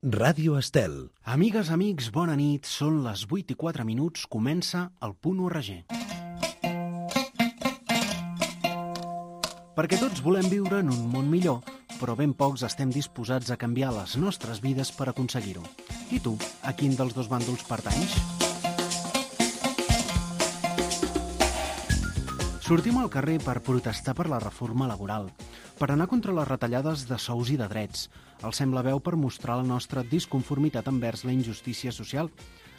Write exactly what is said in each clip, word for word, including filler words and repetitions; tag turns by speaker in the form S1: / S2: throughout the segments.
S1: Ràdio Estel.
S2: Amigues, amics, bona nit. Són les vuit i quatre minuts. Comença el Punt U R G. Perquè tots volem viure en un món millor, però ben pocs estem disposats a canviar les nostres vides per aconseguir-ho. I tu, a quin dels dos bàndols pertanys? Sortim al carrer per protestar per la reforma laboral, per anar contra les retallades de sous i de drets. Alcem la veu per mostrar la nostra disconformitat envers la injustícia social.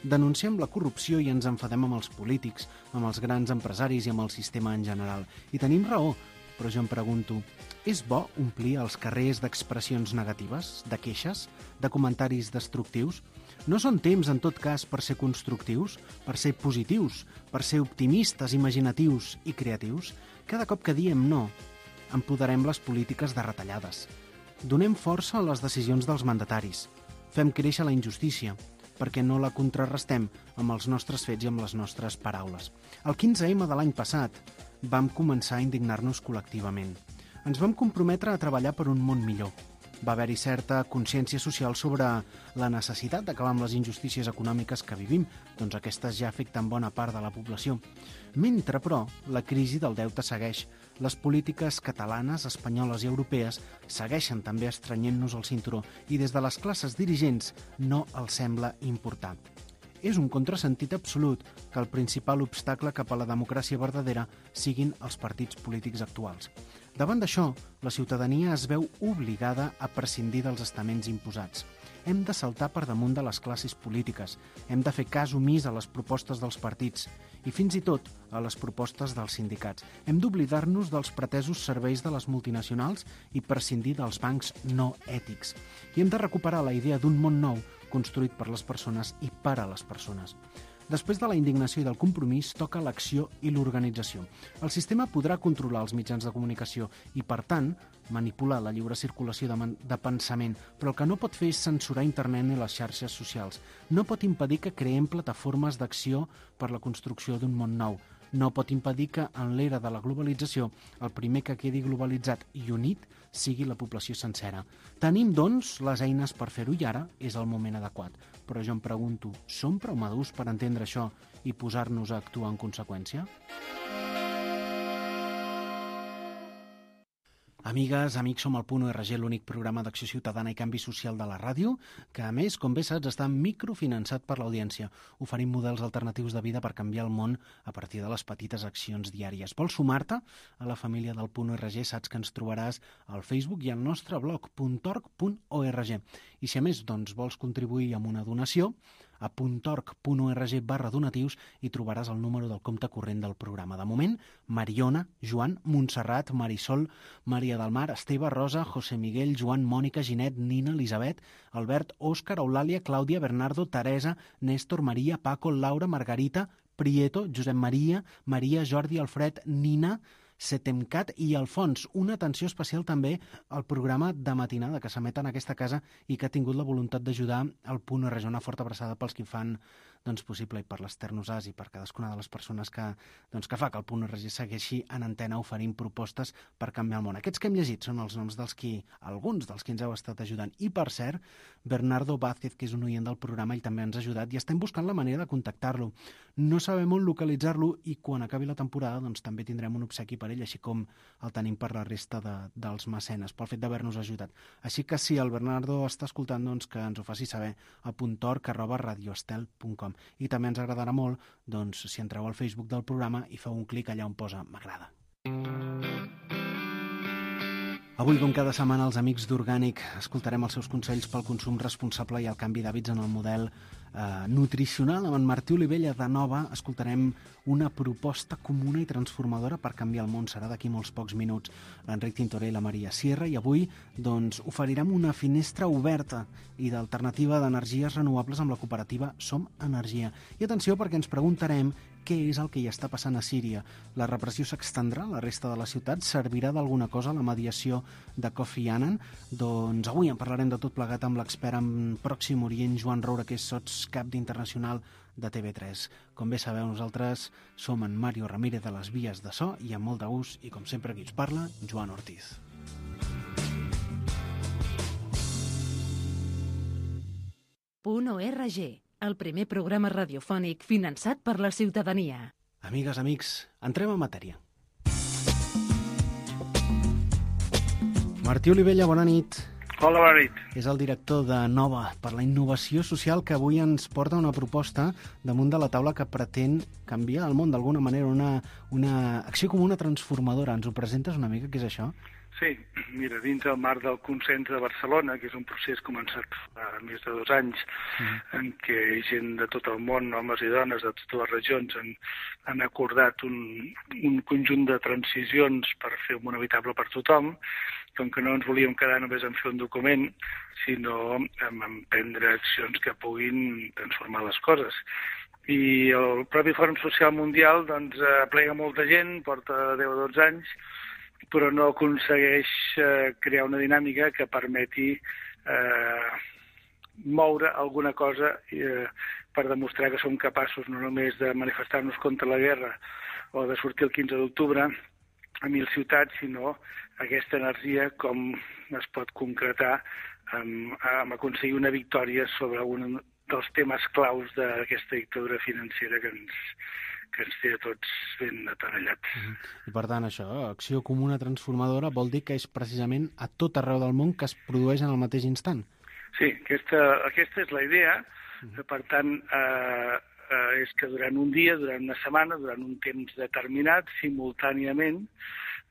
S2: Denunciem la corrupció i ens enfadem amb els polítics, amb els grans empresaris i amb el sistema en general. I tenim raó, però jo em pregunto, és bo omplir els carrers d'expressions negatives, de queixes, de comentaris destructius? No són temps, en tot cas, per ser constructius, per ser positius, per ser optimistes, imaginatius i creatius? Cada cop que diem no, empoderem les polítiques de retallades. Donem força a les decisions dels mandataris. Fem créixer la injustícia, perquè no la contrarrestem amb els nostres fets i amb les nostres paraules. El quinze eme de l'any passat vam començar a indignar-nos col·lectivament. Ens vam comprometre a treballar per un món millor. Va haver-hi certa consciència social sobre la necessitat d'acabar amb les injustícies econòmiques que vivim, doncs aquestes ja afecten bona part de la població. Mentre, però, la crisi del deute segueix. Les polítiques catalanes, espanyoles i europees segueixen també estrenyent-nos el cinturó i des de les classes dirigents no els sembla importar. És un contrasentit absolut que el principal obstacle cap a la democràcia verdadera siguin els partits polítics actuals. Davant d'això, la ciutadania es veu obligada a prescindir dels estaments imposats. Hem de saltar per damunt de les classes polítiques, hem de fer cas omís a les propostes dels partits i fins i tot a les propostes dels sindicats. Hem d'oblidar-nos dels pretesos serveis de les multinacionals i prescindir dels bancs no ètics. I hem de recuperar la idea d'un món nou construït per les persones i per a les persones. Després de la indignació i del compromís, toca l'acció i l'organització. El sistema podrà controlar els mitjans de comunicació i, per tant, manipular la lliure circulació de, de pensament, però el que no pot fer és censurar internet ni les xarxes socials. No pot impedir que creem plataformes d'acció per la construcció d'un món nou. No pot impedir que, en l'era de la globalització, el primer que quedi globalitzat i unit sigui la població sencera. Tenim, doncs, les eines per fer-ho i ara és el moment adequat. Però jo em pregunto, som prou madurs per entendre això i posar-nos a actuar en conseqüència? Amigues, amics, som el Punt U R G, l'únic programa d'acció ciutadana i canvi social de la ràdio, que a més, com bé saps, està microfinançat per l'audiència. Oferim models alternatius de vida per canviar el món a partir de les petites accions diàries. Vols sumar-te a la família del Punt U R G? Saps que ens trobaràs al Facebook i al nostre blog punt org punt org. I si a més doncs, vols contribuir amb una donació, a puntorg punt org barra donatius i trobaràs el número del compte corrent del programa. De moment, Mariona, Joan, Montserrat, Marisol, Maria del Mar, Esteve, Rosa, José Miguel, Joan, Mònica, Ginet, Nina, Elisabet, Albert, Òscar, Eulàlia, Clàudia, Bernardo, Teresa, Néstor, Maria, Paco, Laura, Margarita, Prieto, Josep Maria, Maria, Jordi, Alfred, Nina, Setemcat i Alfons. Una atenció especial també al programa de matinada que s'emet en aquesta casa i que ha tingut la voluntat d'ajudar al Punt U R G. Una forta abraçada pels que fan doncs, possible i per l'Ester Nosàs i per cadascuna de les persones que, doncs, que fa que el Punt U R G segueixi en antena oferint propostes per canviar el món. Aquests que hem llegit són els noms dels qui, alguns dels que ens heu estat ajudant. I per cert, Bernardo Vázquez, que és un oient del programa, i també ens ha ajudat i estem buscant la manera de contactar-lo. No sabem on localitzar-lo i quan acabi la temporada doncs, també tindrem un obsequi per ell, així com el tenim per la resta de, dels mecenes, pel fet d'haver-nos ajudat. Així que si el Bernardo està escoltant, doncs que ens ho faci saber a puntorg arroba radioestel punt com. I també ens agradarà molt doncs, si entreu al Facebook del programa i feu un clic allà on posa m'agrada. Avui, com cada setmana, els amics d'Orgànic escoltarem els seus consells pel consum responsable i el canvi d'hàbits en el model eh, nutricional. Amb en Martí Olivella de Nova escoltarem una proposta comuna i transformadora per canviar el món. Serà d'aquí molts pocs minuts. L'Enric Tintoré i la Maria Sierra. I avui doncs, oferirem una finestra oberta i d'alternativa d'energies renovables amb la cooperativa Som Energia. I atenció, perquè ens preguntarem què és el que hi està passant a Síria. La repressió s'extendrà a la resta de la ciutat? Servirà d'alguna cosa la mediació de Kofi Annan? Doncs avui en parlarem de tot plegat amb l'expert en Pròxim Orient, Joan Roura, que és sotscap d'Internacional de T V tres. Com bé sabeu, nosaltres som en Mario Ramírez de les vies de so i amb molt de gust, i com sempre qui us parla, Joan Ortiz.
S1: punt org, el primer programa radiofònic finançat per la ciutadania.
S2: Amigues, amics, entrem en matèria. Martí Olivella, bona nit.
S3: Hola, bona nit.
S2: És el director de Nova per la innovació social, que avui ens porta una proposta damunt de la taula que pretén canviar el món d'alguna manera, una, una acció comuna transformadora. Ens ho presentes una mica, què és això?
S3: Sí, mira, dins el marc del Consens de Barcelona, que és un procés començat fa més de dos anys, mm. en què gent de tot el món, homes i dones de totes les regions, han, han acordat un, un conjunt de transicions per fer un món habitable per tothom, com que no ens volíem quedar només en fer un document, sinó en emprendre accions que puguin transformar les coses. I el propi Fòrum Social Mundial doncs, aplega molta gent, porta deu o dotze anys, però no aconsegueix eh, crear una dinàmica que permeti eh, moure alguna cosa eh, per demostrar que som capaços no només de manifestar-nos contra la guerra o de sortir el quinze d'octubre a mil ciutats, sinó aquesta energia com es pot concretar amb, amb aconseguir una victòria sobre un dels temes claus d'aquesta dictadura financera que ens, que ens té a tots ben atenallats.
S2: Uh-huh. I per tant, això, acció comuna transformadora, vol dir que és precisament a tot arreu del món que es produeix en el mateix instant?
S3: Sí, aquesta, aquesta és la idea. Uh-huh. Per tant, eh, eh, és que durant un dia, durant una setmana, durant un temps determinat, simultàniament,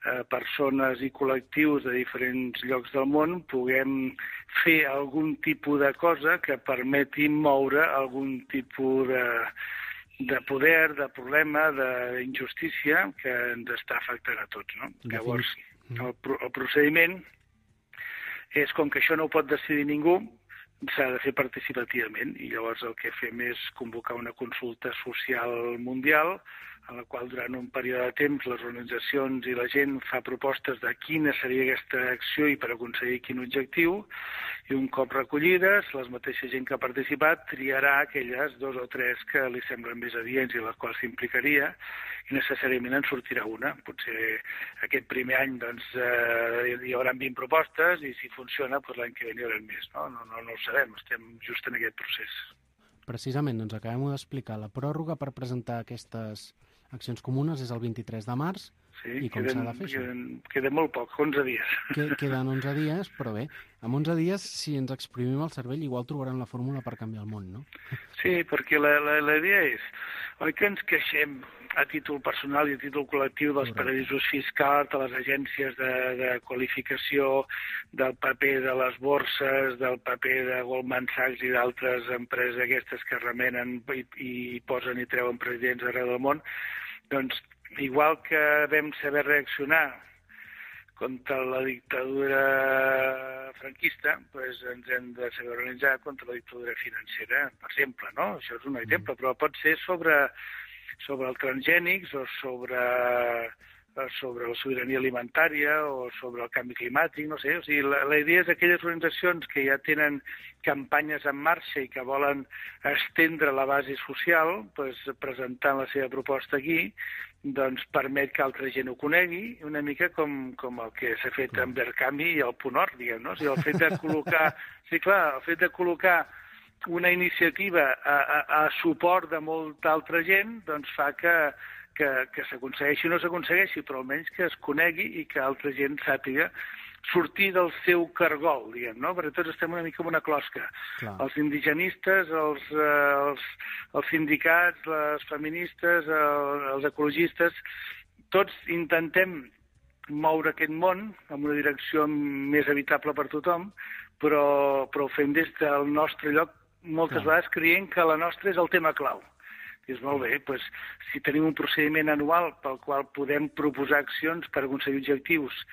S3: eh, persones i col·lectius de diferents llocs del món puguem fer algun tipus de cosa que permeti moure algun tipus de de poder, de problema, d'injustícia que ens està afectant a tots, no? Llavors, el, el procediment és com que això no ho pot decidir ningú, s'ha de fer participativament, i llavors el que fem és convocar una consulta social mundial en la qual durant un període de temps les organitzacions i la gent fa propostes de quina seria aquesta acció i per aconseguir quin objectiu, i un cop recollides, la mateixa gent que ha participat triarà aquelles dos o tres que li semblen més adients i les quals s'implicaria, i necessàriament en sortirà una. Potser aquest primer any doncs, eh, hi haurà vint propostes i si funciona doncs l'any que ve n'hi haurà més. No? No, no, no ho sabem, estem just en aquest procés.
S2: Precisament, doncs acabem d'explicar la pròrroga per presentar aquestes accions comunes és el vint-i-tres de març,
S3: sí,
S2: i com s'ha de fer això?
S3: Queden, queda molt poc, onze dies.
S2: Queden onze dies, però bé, amb onze dies, si ens exprimim el cervell, igual trobarem la fórmula per canviar el món, no?
S3: Sí, perquè la, la, la idea és, oi que ens queixem a títol personal i a títol col·lectiu dels paradisos fiscals, de les agències de, de qualificació, del paper de les borses, del paper de Goldman Sachs i d'altres empreses aquestes que remenen i, i posen i treuen presidents arreu del món. Doncs, igual que vam saber reaccionar contra la dictadura franquista, doncs ens hem de saber organitzar contra la dictadura financera, per exemple, no? Això és un exemple, però pot ser sobre, sobre els transgènics o sobre, sobre la sobirania alimentària o sobre el canvi climàtic, no sé. O sigui, la, la idea és que aquelles organitzacions que ja tenen campanyes en marxa i que volen estendre la base social, doncs, presentant la seva proposta aquí, doncs permet que altra gent ho conegui, una mica com, com el que s'ha fet amb Verkami i el Punt Or, diguem, no? O sigui, el fet de col·locar, sí, clar, el fet de col·locar una iniciativa a, a, a suport de molta altra gent, doncs fa que, que, que s'aconsegueixi o no s'aconsegueixi, però almenys que es conegui i que altra gent sàpiga sortir del seu cargol, diguem, no? Perquè tots estem una mica en una closca. Clar. Els indigenistes, els, eh, els, els sindicats, les feministes, el, els ecologistes, tots intentem moure aquest món en una direcció més evitable per tothom, però, però ho fem des del nostre lloc, moltes Clar. vegades creient que la nostra és el tema clau. I és molt bé, doncs, si tenim un procediment anual pel qual podem proposar accions per aconseguir objectius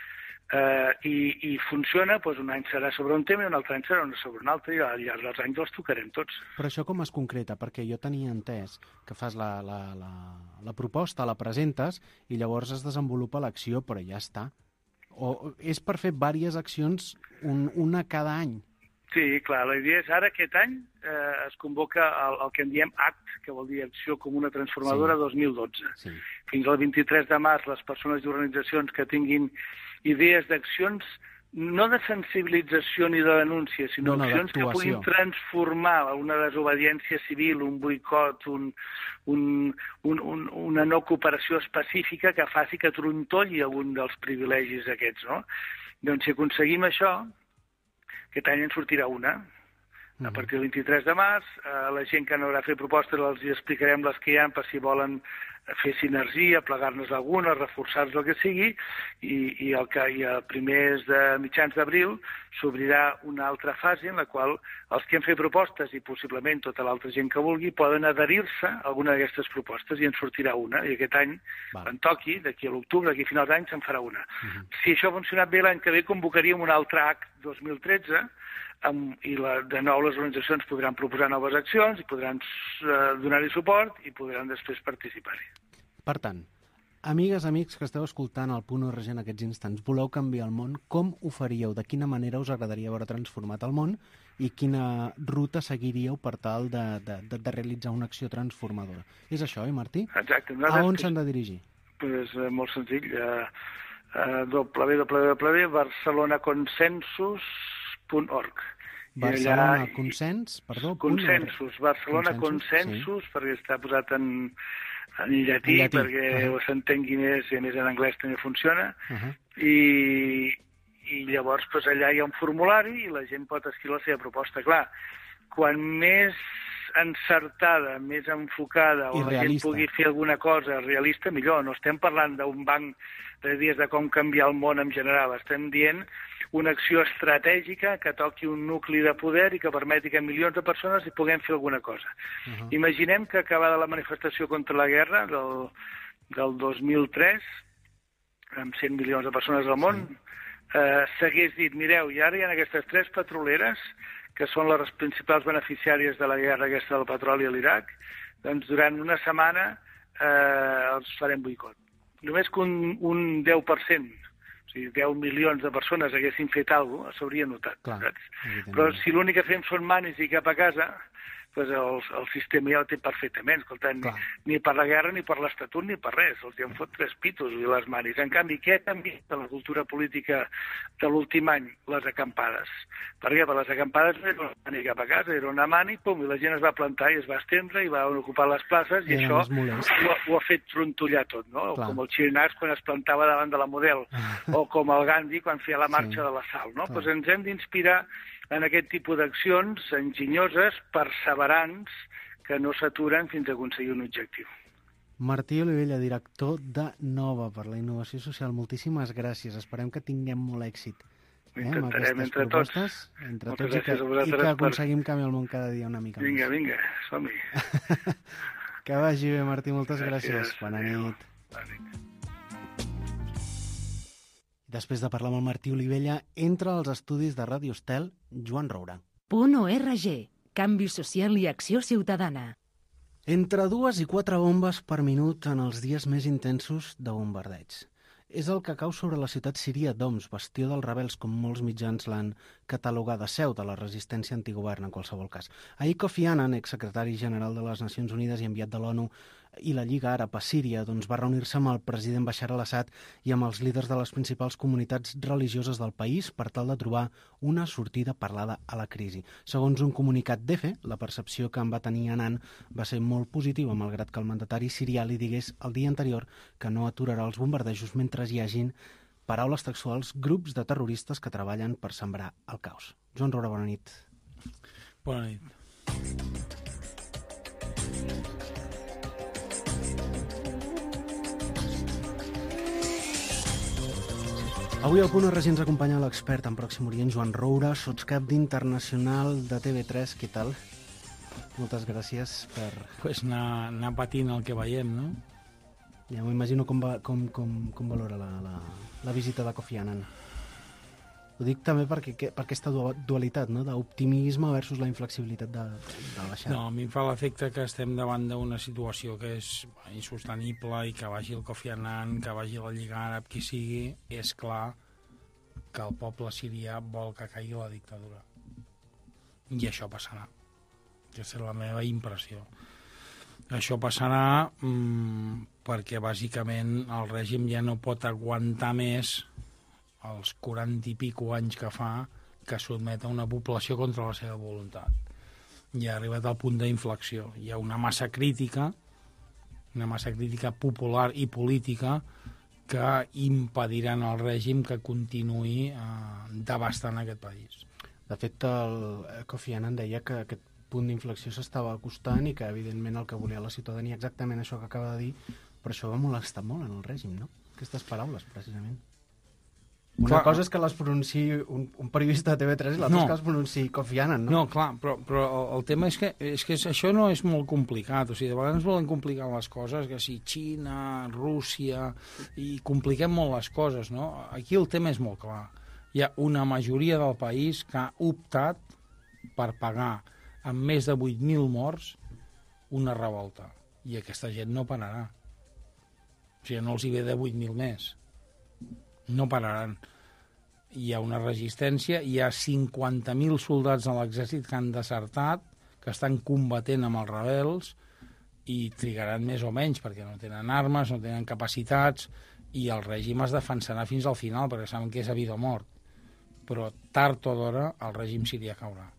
S3: Uh, i, i funciona, doncs un any serà sobre un tema i un altre any serà sobre un altre, i al llarg dels anys els tocarem tots.
S2: Però això com es concreta? Perquè jo tenia entès que fas la, la, la, la proposta, la presentes i llavors es desenvolupa l'acció, però ja està. O és per fer diverses accions, un, una cada any?
S3: Sí, clar, la idea és ara aquest any eh, es convoca el, el que en diem A C T, que vol dir Acció Comuna Transformadora sí. dos mil dotze. Sí. Fins al vint-i-tres de març les persones i organitzacions que tinguin idees d'accions no de sensibilització ni de denúncia, sinó
S2: no, no,
S3: accions que puguin transformar una desobediència civil, un boicot, un, un, un, un, una no cooperació específica que faci que trontolli algun dels privilegis aquests, no? Doncs si aconseguim això, aquest any en sortirà una. A partir del vint-i-tres de març, a la gent que no haurà fet propostes els explicarem les que hi ha per si volen fer sinergia, plegar-nos alguna, reforçar-nos el que sigui, i, i el que i a primers de mitjans d'abril s'obrirà una altra fase en la qual els que han fet propostes i possiblement tota l'altra gent que vulgui poden adherir-se a alguna d'aquestes propostes i en sortirà una. I aquest any,
S2: Val.
S3: en toqui, d'aquí a l'octubre, d'aquí a final d'any, se'n farà una.
S2: Uh -huh.
S3: Si això ha funcionat bé, l'any que ve convocaríem un altre A C dos mil tretze, amb, i la, de nou les organitzacions podran proposar noves accions i podran uh, donar-hi suport i podran després participar-hi.
S2: Per tant, amigues, amics que esteu escoltant el Punt Org en aquests instants, voleu canviar el món, com ho faríeu? De quina manera us agradaria veure transformat el món i quina ruta seguiríeu per tal de, de, de, de realitzar una acció transformadora? És això, eh, Martí?
S3: Exacte.
S2: A on s'han de dirigir?
S3: Pues, eh, molt senzill. Uh, uh, w w w punt barcelona consensus punt org.
S2: Barcelona allà, Consens, perdó,
S3: Consensus, Barcelona Consensus, Consensus sí. Perquè està posat en, en llatí, en llatí, perquè uh -huh. s'entengui més, i a més en anglès també funciona, uh -huh. i, i llavors pues, allà hi ha un formulari i la gent pot escriure la seva proposta. Clar, quan més encertada, més enfocada, o la gent pugui fer alguna cosa realista, millor. No estem parlant d'un banc de dies de com canviar el món en general, estem dient una acció estratègica que toqui un nucli de poder i que permeti que milions de persones hi puguem fer alguna cosa. Uh -huh. Imaginem que acabada la manifestació contra la guerra del, del dos mil tres, amb cent milions de persones al món, sí. eh, s'hagués dit, mireu, i ara hi ha aquestes tres petroleres que són les principals beneficiàries de la guerra aquesta del petroli a l'Iraq, doncs durant una setmana eh, els farem boicot. Només que un, un deu per cent, o sigui, deu milions de persones haguessin fet alguna cosa, s'hauria notat. Clar, però si l'únic que fem són manis i cap a casa, doncs el, el sistema ja ho té perfectament. Escolta, ni, ni per la guerra, ni per l'Estatut, ni per res. Els hi han fot tres pitos i les manis. En canvi, què ha canviat de la cultura política de l'últim any? Les acampades. Per què? Per les acampades no era una mani cap a casa, era una mani, pum, i la gent es va plantar i es va estendre i va ocupar les places, i, i això ho, ho ha fet trontollar tot, no? Clar. Com el Xirinacs quan es plantava davant de la Model, o com el Gandhi quan feia la marxa sí. de la sal, no? Doncs ens hem d'inspirar en aquest tipus d'accions enginyoses, perseverants, que no s'aturen fins a aconseguir un objectiu.
S2: Martí Olivella, director de Nova per la Innovació Social, moltíssimes gràcies. Esperem que tinguem molt èxit.
S3: Eh, Intentarem entre tots.
S2: Entre tots i que, i que aconseguim per... canviar el món cada dia una mica
S3: vinga,
S2: més.
S3: Vinga, vinga, som-hi.
S2: Que vagi bé, Martí, moltes gràcies. gràcies. Bona nit.
S3: Bona nit.
S2: Després de parlar amb el Martí Olivella, entra als estudis de Ràdio Estel, Joan Roura.
S1: Punt Org. Canvi social i acció ciutadana.
S2: Entre dues i quatre bombes per minut en els dies més intensos de bombardeig. És el que cau sobre la ciutat síria d'Homs, bastió dels rebels, com molts mitjans l'han catalogada, seu de la resistència antigovern en qualsevol cas. Ahir Kofi Annan, exsecretari general de les Nacions Unides i enviat de l'ONU i la Lliga Àrab a Síria, doncs va reunir-se amb el president Bashar al-Assad i amb els líders de les principals comunitats religioses del país per tal de trobar una sortida parlada a la crisi. Segons un comunicat d'E F E, la percepció que en va tenir Annan va ser molt positiva, malgrat que el mandatari sirià li digués el dia anterior que no aturarà els bombardejos mentre hi hagin, paraules textuals, grups de terroristes que treballen per sembrar el caos. Joan Roura, bona nit.
S4: Bona nit.
S2: Avui al Punt Org ens acompanya l'expert en Pròxim Orient, Joan Roura, sotscap d'Internacional de T V tres. Què tal? Moltes gràcies per...
S4: Pues anar, anar patint el que veiem, no?
S2: Ja m'ho imagino com, va, com, com, com valora la, la, la visita de Kofi Annan. Ho dic també perquè, per aquesta dualitat, no?, d'optimisme versus la inflexibilitat de, de Bashar.
S4: No, a mi em fa l'efecte que estem davant d'una situació que és insostenible i que vagi el Kofi Annan, que vagi la Lliga Àrab, qui sigui, és clar que el poble sirià vol que caigui la dictadura. I això passarà. Aquesta és la meva impressió. Això passarà mmm, perquè bàsicament el règim ja no pot aguantar més els quaranta i pico anys que fa que sotmet a una població contra la seva voluntat. Ja ha arribat al punt d'inflexió. Hi ha una massa crítica, una massa crítica popular i política que impediran al règim que continuï eh, devastant aquest país.
S2: De fet, el Kofi Annan deia que aquest punt d'inflexió s'estava acostant i que, evidentment, el que volia la ciutadania, exactament això que acaba de dir, però això va molestar molt en el règim, no? Aquestes paraules, precisament. Una clar, cosa és que les pronunciï un, un periodista de T V tres i l'altra no. és que les pronunciï Kofi Annan, no?
S4: No, clar, però, però el, el tema és que, és que això no és molt complicat. O sigui, de vegades volen complicar les coses, que si Xina, Rússia, i compliquem molt les coses, no? Aquí el tema és molt clar. Hi ha una majoria del país que ha optat per pagar amb més de vuit mil morts una revolta. I aquesta gent no pararà. O sigui, no els hi ve de vuit mil més. No pararan. Hi ha una resistència, hi ha cinquanta mil soldats de l'exèrcit que han desertat, que estan combatent amb els rebels, i trigaran més o menys, perquè no tenen armes, no tenen capacitats, i el règim es defensarà fins al final, perquè saben que és a vida o mort. Però tard o d'hora el règim sirià caurà.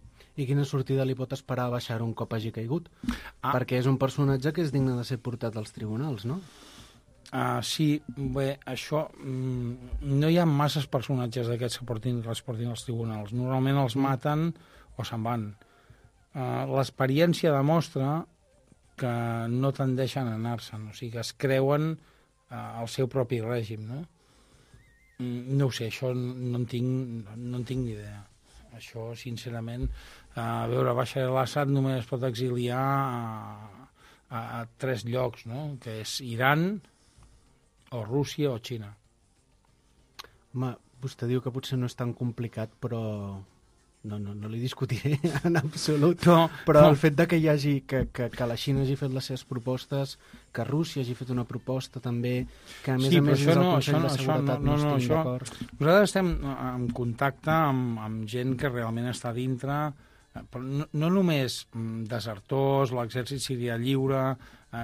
S2: I quina sortida li pot esperar a baixar un cop hagi caigut? Ah. Perquè és un personatge que és digne de ser portat als tribunals, no?
S4: Uh, sí, bé, això... Mm, no hi ha masses personatges d'aquests que portin, que els portin als tribunals. Normalment els maten o se'n van. Uh, l'experiència demostra que no tendeixen a anar-se'n, o sigui, que es creuen uh, el seu propi règim, no? Mm, no ho sé, això no en tinc, no en tinc ni idea. Això, sincerament, uh, a veure, Bashar al-Assad només es pot exiliar a, a, a tres llocs, no? Que és Iran, o Rússia o Xina.
S2: Home, vostè diu que potser no és tan complicat, però no, no, no li discutiré en absolut. No, però no. El fet de que hi hagi, que, que, que la Xina hagi fet les seves propostes, que Rússia hagi fet una proposta també, que a més
S4: sí,
S2: a més
S4: és el
S2: no,
S4: no,
S2: Consell de Seguretat no, no, no, no estigui d'acord.
S4: Nosaltres estem en contacte amb, amb gent que realment està dintre, però no, no només desertors, l'exèrcit sirià lliure,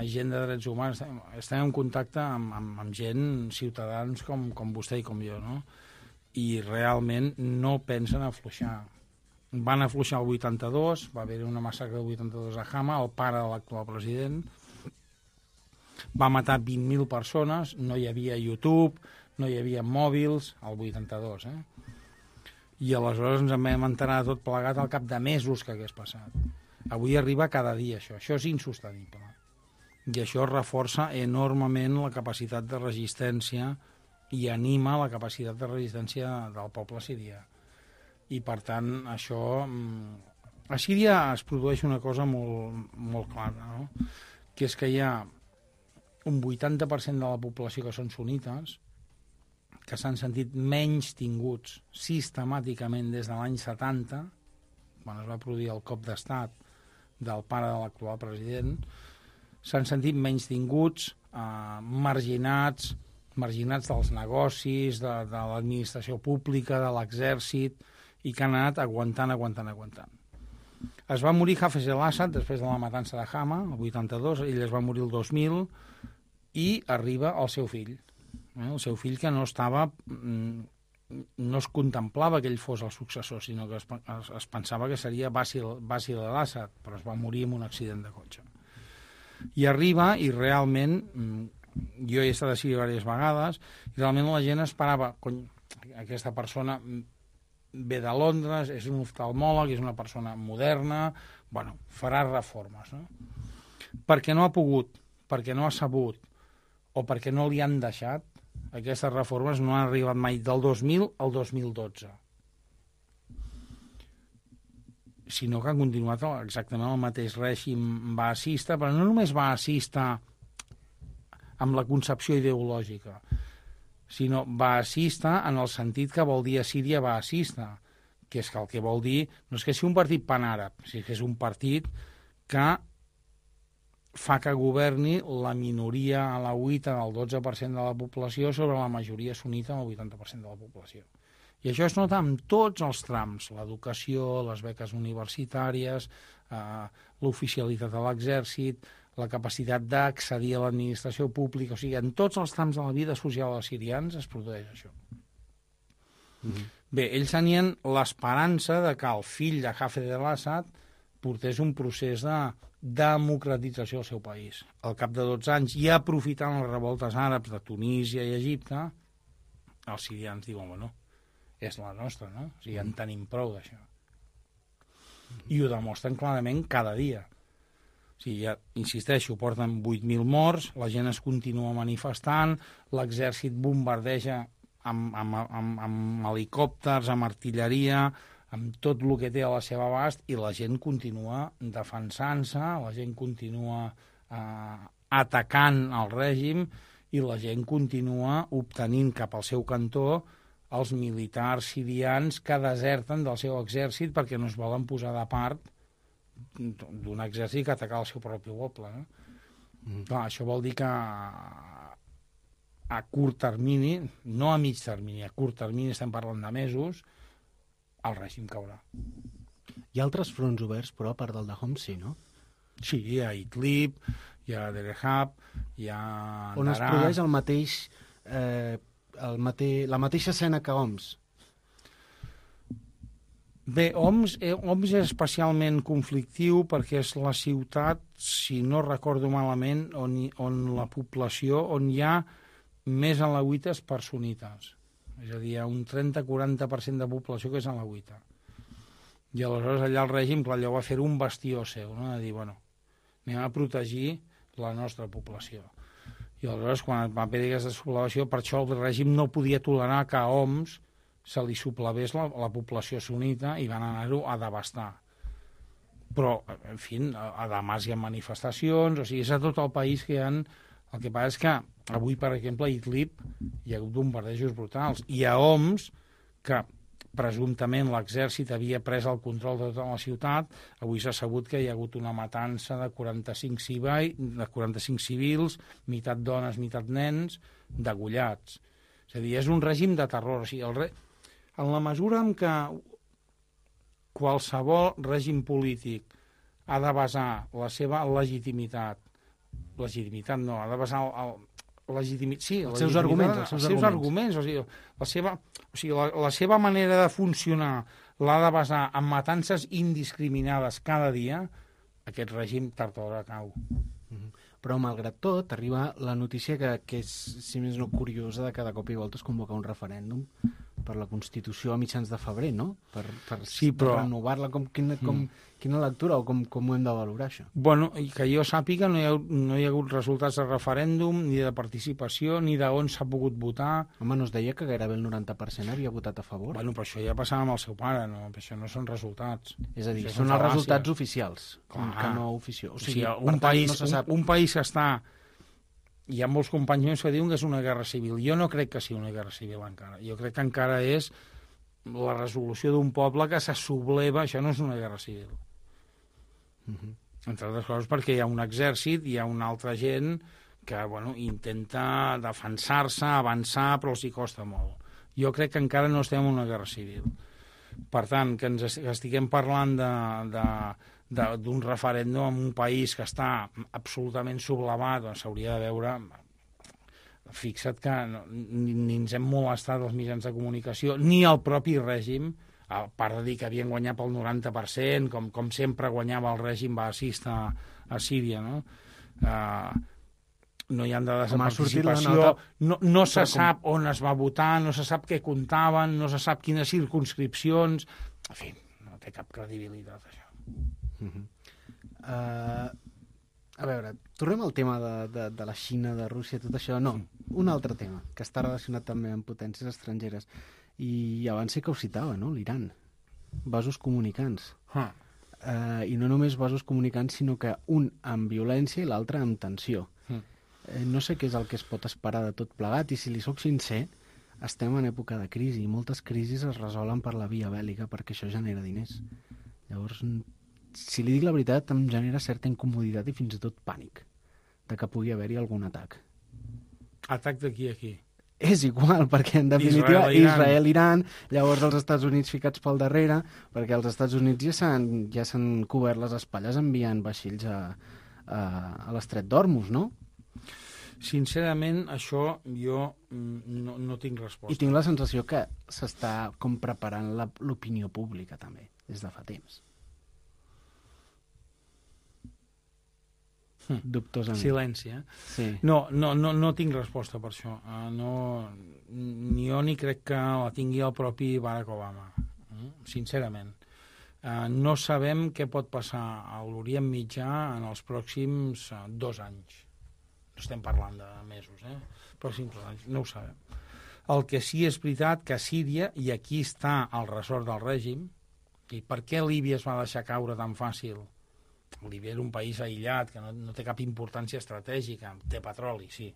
S4: gent de drets humans, estem, estem en contacte amb, amb, amb gent, ciutadans com, com vostè i com jo, no? I realment no pensen afluixar. Van afluixar el vuitanta-dos, va haver una massacre del vuitanta-dos a Hama, el pare de l'actual president, va matar vint mil persones, no hi havia YouTube, no hi havia mòbils, el vuitanta-dos, eh? I aleshores ens en vam enterar tot plegat al cap de mesos que hagués passat. Avui arriba cada dia això, això és insostenible. I això reforça enormement la capacitat de resistència i anima la capacitat de resistència del poble sirià. I per tant, això... A Síria es produeix una cosa molt, molt clara, no? Que és que hi ha un vuitanta per cent de la població que són sunites, que s'han sentit menys tinguts sistemàticament des de l'any setanta, quan es va produir el cop d'estat del pare de l'actual president, s'han sentit menys tinguts, eh, marginats, marginats dels negocis, de, de l'administració pública, de l'exèrcit, i que han anat aguantant, aguantant, aguantant. Es va morir Hafez el-Assad després de la matança de Hama, el vuitanta-dos, ell es va morir el dos mil, i arriba el seu fill. Eh? El seu fill que no estava... no es contemplava que ell fos el successor, sinó que es, es, es pensava que seria Basil, Basil el-Assad, però es va morir en un accident de cotxe. I arriba, i realment, jo he estat a Síria diverses vegades, i realment la gent esperava, cony, aquesta persona ve de Londres, és un oftalmòleg, és una persona moderna, bueno, farà reformes, no? Perquè no ha pogut, perquè no ha sabut, o perquè no li han deixat, aquestes reformes no han arribat mai del dos mil al dos mil dotze. Sinó que han continuat exactament el mateix règim baasista, però no només baasista amb la concepció ideològica, sinó baasista en el sentit que vol dir a Síria baasista, que és que el que vol dir no és que sigui un partit panàrab, sinó que és un partit que fa que governi la minoria alauita del dotze per cent de la població sobre la majoria sunita del vuitanta per cent de la població. I això es nota en tots els trams, l'educació, les beques universitàries, eh, l'oficialitat de l'exèrcit, la capacitat d'accedir a l'administració pública, o sigui, en tots els trams de la vida social dels sirians es produeix això. Mm-hmm. Bé, ells tenien l'esperança de que el fill de Hafez al-Assad portés un procés de democratització del seu país. Al cap de dotze anys, i aprofitant les revoltes àrabs de Tunísia i Egipte, els sirians diuen, bueno, és la nostra, no? O sigui, en tenim prou d'això. I ho demostren clarament cada dia. O sigui, ja, insisteixo, porten vuit mil morts, la gent es continua manifestant, l'exèrcit bombardeja amb, amb, amb, amb helicòpters, amb artilleria, amb tot el que té a la seva abast, i la gent continua defensant-se, la gent continua eh, atacant el règim, i la gent continua obtenint cap al seu cantó els militars sirians que deserten del seu exèrcit perquè no es volen posar de part d'un exèrcit que ataca el seu propi poble. No? Mm. Clar, això vol dir que a curt termini, no a mig termini, a curt termini, estem parlant de mesos, el règim caurà.
S2: Hi ha altres fronts oberts, però, a part del de Homs, sí, no?
S4: Sí, hi ha Idlib, hi ha Derehab, hi ha
S2: On es produeix el mateix, eh, el mate... la mateixa escena que Homs.
S4: Bé, Homs, eh, Homs és especialment conflictiu perquè és la ciutat, si no recordo malament, on, on la població, on hi ha més alauites per sunites. És a dir, hi ha un trenta a quaranta per cent de població que és alauita. I aleshores allà el règim, clar, allò va fer un bastió seu, no? De dir, bueno, anem a protegir la nostra població. I aleshores, quan va haver aquesta sublevació, per això el règim no podia tolerar que a Homs se li suplevés la, la població sunita i van anar-ho a devastar. Però, en fi, a, a Damasc hi ha manifestacions, o sigui, és a tot el país que hi ha... El que passa és que avui, per exemple, a Idlib hi ha hagut bombardejos brutals. I a Homs, que presumptament l'exèrcit havia pres el control de tota la ciutat, avui s'ha sabut que hi ha hagut una matança de quaranta-cinc, cibai, de quaranta-cinc civils, meitat dones, meitat nens, degollats. És a dir, és un règim de terror. O sigui, el re... En la mesura en què qualsevol règim polític ha de basar la seva legitimitat, legitimitat no, ha de basar el, el legitimitat, sí,
S2: els seus arguments, els seus,
S4: els seus arguments, arguments o sigui, la seva, o sigui, la, la seva manera de funcionar l'ha de basar en matances indiscriminades cada dia, aquest règim tard o d'hora cau.
S2: Mm-hmm. Però, malgrat tot, arriba la notícia que, que és, si més no, curiosa, de cada cop i volta es convoca un referèndum per la Constitució a mitjans de febrer, no? Per, per
S4: sí, però...
S2: renovar-la. Com, quina, com, mm. quina lectura o com, com ho hem de valorar, això?
S4: Bueno, i que jo sàpiga, no hi, ha, no hi ha hagut resultats de referèndum, ni de participació, ni d'on s'ha pogut votar.
S2: Home, no es deia que gairebé el noranta per cent havia votat a favor?
S4: Bueno, però això ja passava amb el seu pare, no? Això no són resultats.
S2: És a dir,
S4: això
S2: són els
S4: fal·làcies.
S2: Resultats oficials,
S4: Clar.
S2: Que no oficials. O
S4: sigui,
S2: sigui,
S4: un,
S2: tant,
S4: país,
S2: no se sap...
S4: un, un país que està... Hi ha molts companys meus que diuen que és una guerra civil. Jo no crec que sigui una guerra civil encara. Jo crec que encara és la resolució d'un poble que se subleva. Això no és una guerra civil. Uh-huh. Entre altres coses perquè hi ha un exèrcit, hi ha una altra gent que bueno, intenta defensar-se, avançar, però els hi costa molt. Jo crec que encara no estem en una guerra civil. Per tant, que ens estiguem parlant de... de d'un referèndum en un país que està absolutament sublevat, doncs s'hauria de veure... Fixa't que no, ni, ni ens hem molestat els mitjans de comunicació, ni el propi règim, a part de dir que havien guanyat pel noranta per cent, com, com sempre guanyava el règim baasista a Síria, no? Uh, no hi ha dades de participació, no, no se sap on es va votar, no se sap què comptaven, no se sap quines circumscripcions... En fi, no té cap credibilitat, això.
S2: Uh-huh. uh, a veure, tornem al tema de, de, de la Xina, de Rússia, tot això. No, un altre tema que està relacionat també amb potències estrangeres i abans sé que ho citava, no? L'Iran, vasos comunicants. Huh. Uh, i no només vasos comunicants, sinó que un amb violència i l'altre amb tensió. Uh. Uh, no sé què és el que es pot esperar de tot plegat i si li soc sincer, estem en època de crisi i moltes crisis es resolen per la via bèl·lica perquè això genera diners. Llavors, si li dic la veritat, em genera certa incomoditat i fins i tot pànic de que pugui haver-hi algun atac.
S4: Atac d'aquí a aquí?
S2: És igual, perquè en definitiva Israel-Iran, llavors els Estats Units ficats pel darrere, perquè els Estats Units ja s'han ja s'han cobert les espatlles enviant vaixells a, a, a l'estret d'Hormuz, no?
S4: Sincerament, això jo no, no tinc resposta.
S2: I tinc la sensació que s'està com preparant l'opinió pública també, des de fa temps.
S4: Hm.
S2: Dubtosament.
S4: Silenci, eh?
S2: Sí.
S4: No, no, no, no tinc resposta per això. Uh, no, ni jo ni crec que la tingui el propi Barack Obama, uh, sincerament. Uh, no sabem què pot passar a l'Orient Mitjà en els pròxims uh, dos anys. No estem parlant de mesos, eh? Pròxims dos anys, no ho sabem. El que sí és veritat que a Síria, i aquí està el ressort del règim, i per què Líbia es va deixar caure tan fàcil? Líbia era un país aïllat, que no, no té cap importància estratègica, té petroli, sí,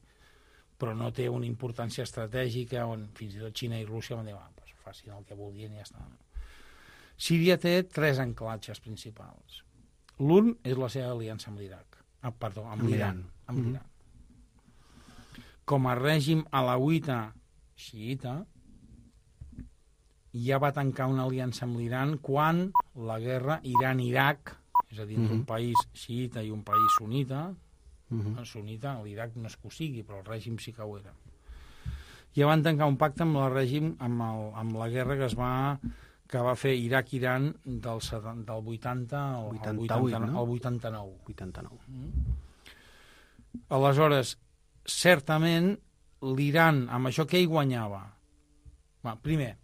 S4: però no té una importància estratègica on fins i tot Xina i Rússia van dir, ah, pues, facin el que vulguin i ja està. Síria té tres anclatges principals. L'un és la seva aliança amb l'Iraq, ah, perdó, amb l'Iran. Amb l'Iran. Mm-hmm. Com a règim alauita xiïta, ja va tancar una aliança amb l'Iran quan la guerra Iran-Iraq, és a dir, uh-huh. un país xiïta i un país sunita, uh-huh. sunita, l'Iraq no és que ho sigui, però el règim sí que ho era. Ja van tancar un pacte amb el règim, amb, el, amb la guerra que es va que va fer Iraq-Iran del, del vuitanta al
S2: vuitanta-vuit,
S4: al
S2: no?
S4: vuitanta-nou.
S2: vuitanta-nou.
S4: Mm. Aleshores, certament, l'Iran, amb això què hi guanyava? Va, primer,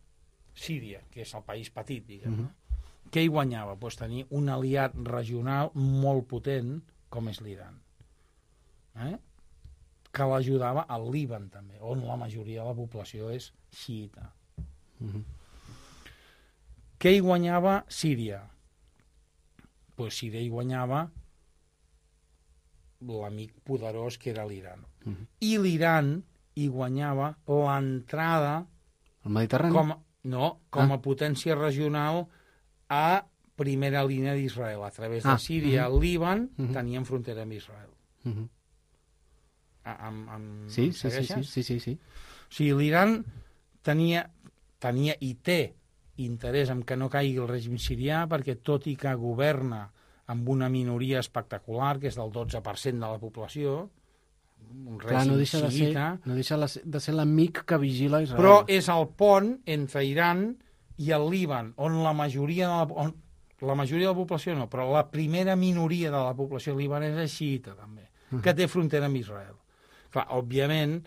S4: Síria, que és el país petit, diguem, uh-huh. què hi guanyava? Pues tenir un aliat regional molt potent com és l'Iran, eh? que l'ajudava al Líban també, on la majoria de la població és xiïta. Uh-huh. Què hi guanyava Síria? Pues Síria hi guanyava l'amic poderós que era l'Iran. Uh-huh. I l'Iran hi guanyava l'entrada
S2: al Mediterrani?
S4: Com, no, com
S2: ah.
S4: a potència regional a primera línia d'Israel. A través de
S2: ah,
S4: Síria,
S2: uh-huh.
S4: Líban,
S2: uh-huh.
S4: tenien frontera amb Israel.
S2: Uh-huh.
S4: Amb, amb,
S2: sí, sí, sí, sí, sí, sí, sí.
S4: O sigui, l'Iran tenia, tenia i té interès en que no caigui el règim sirià, perquè tot i que governa amb una minoria espectacular, que és del dotze per cent de la població, un règim
S2: Clar, no deixa de ser, no deixa de ser l'amic que vigila Israel.
S4: Però és el pont entre Iran i el Líban, on la majoria de la, on, la majoria de la població no, però la primera minoria de la població libanesa és xiïta, també, uh-huh. que té frontera amb Israel. Clar, òbviament,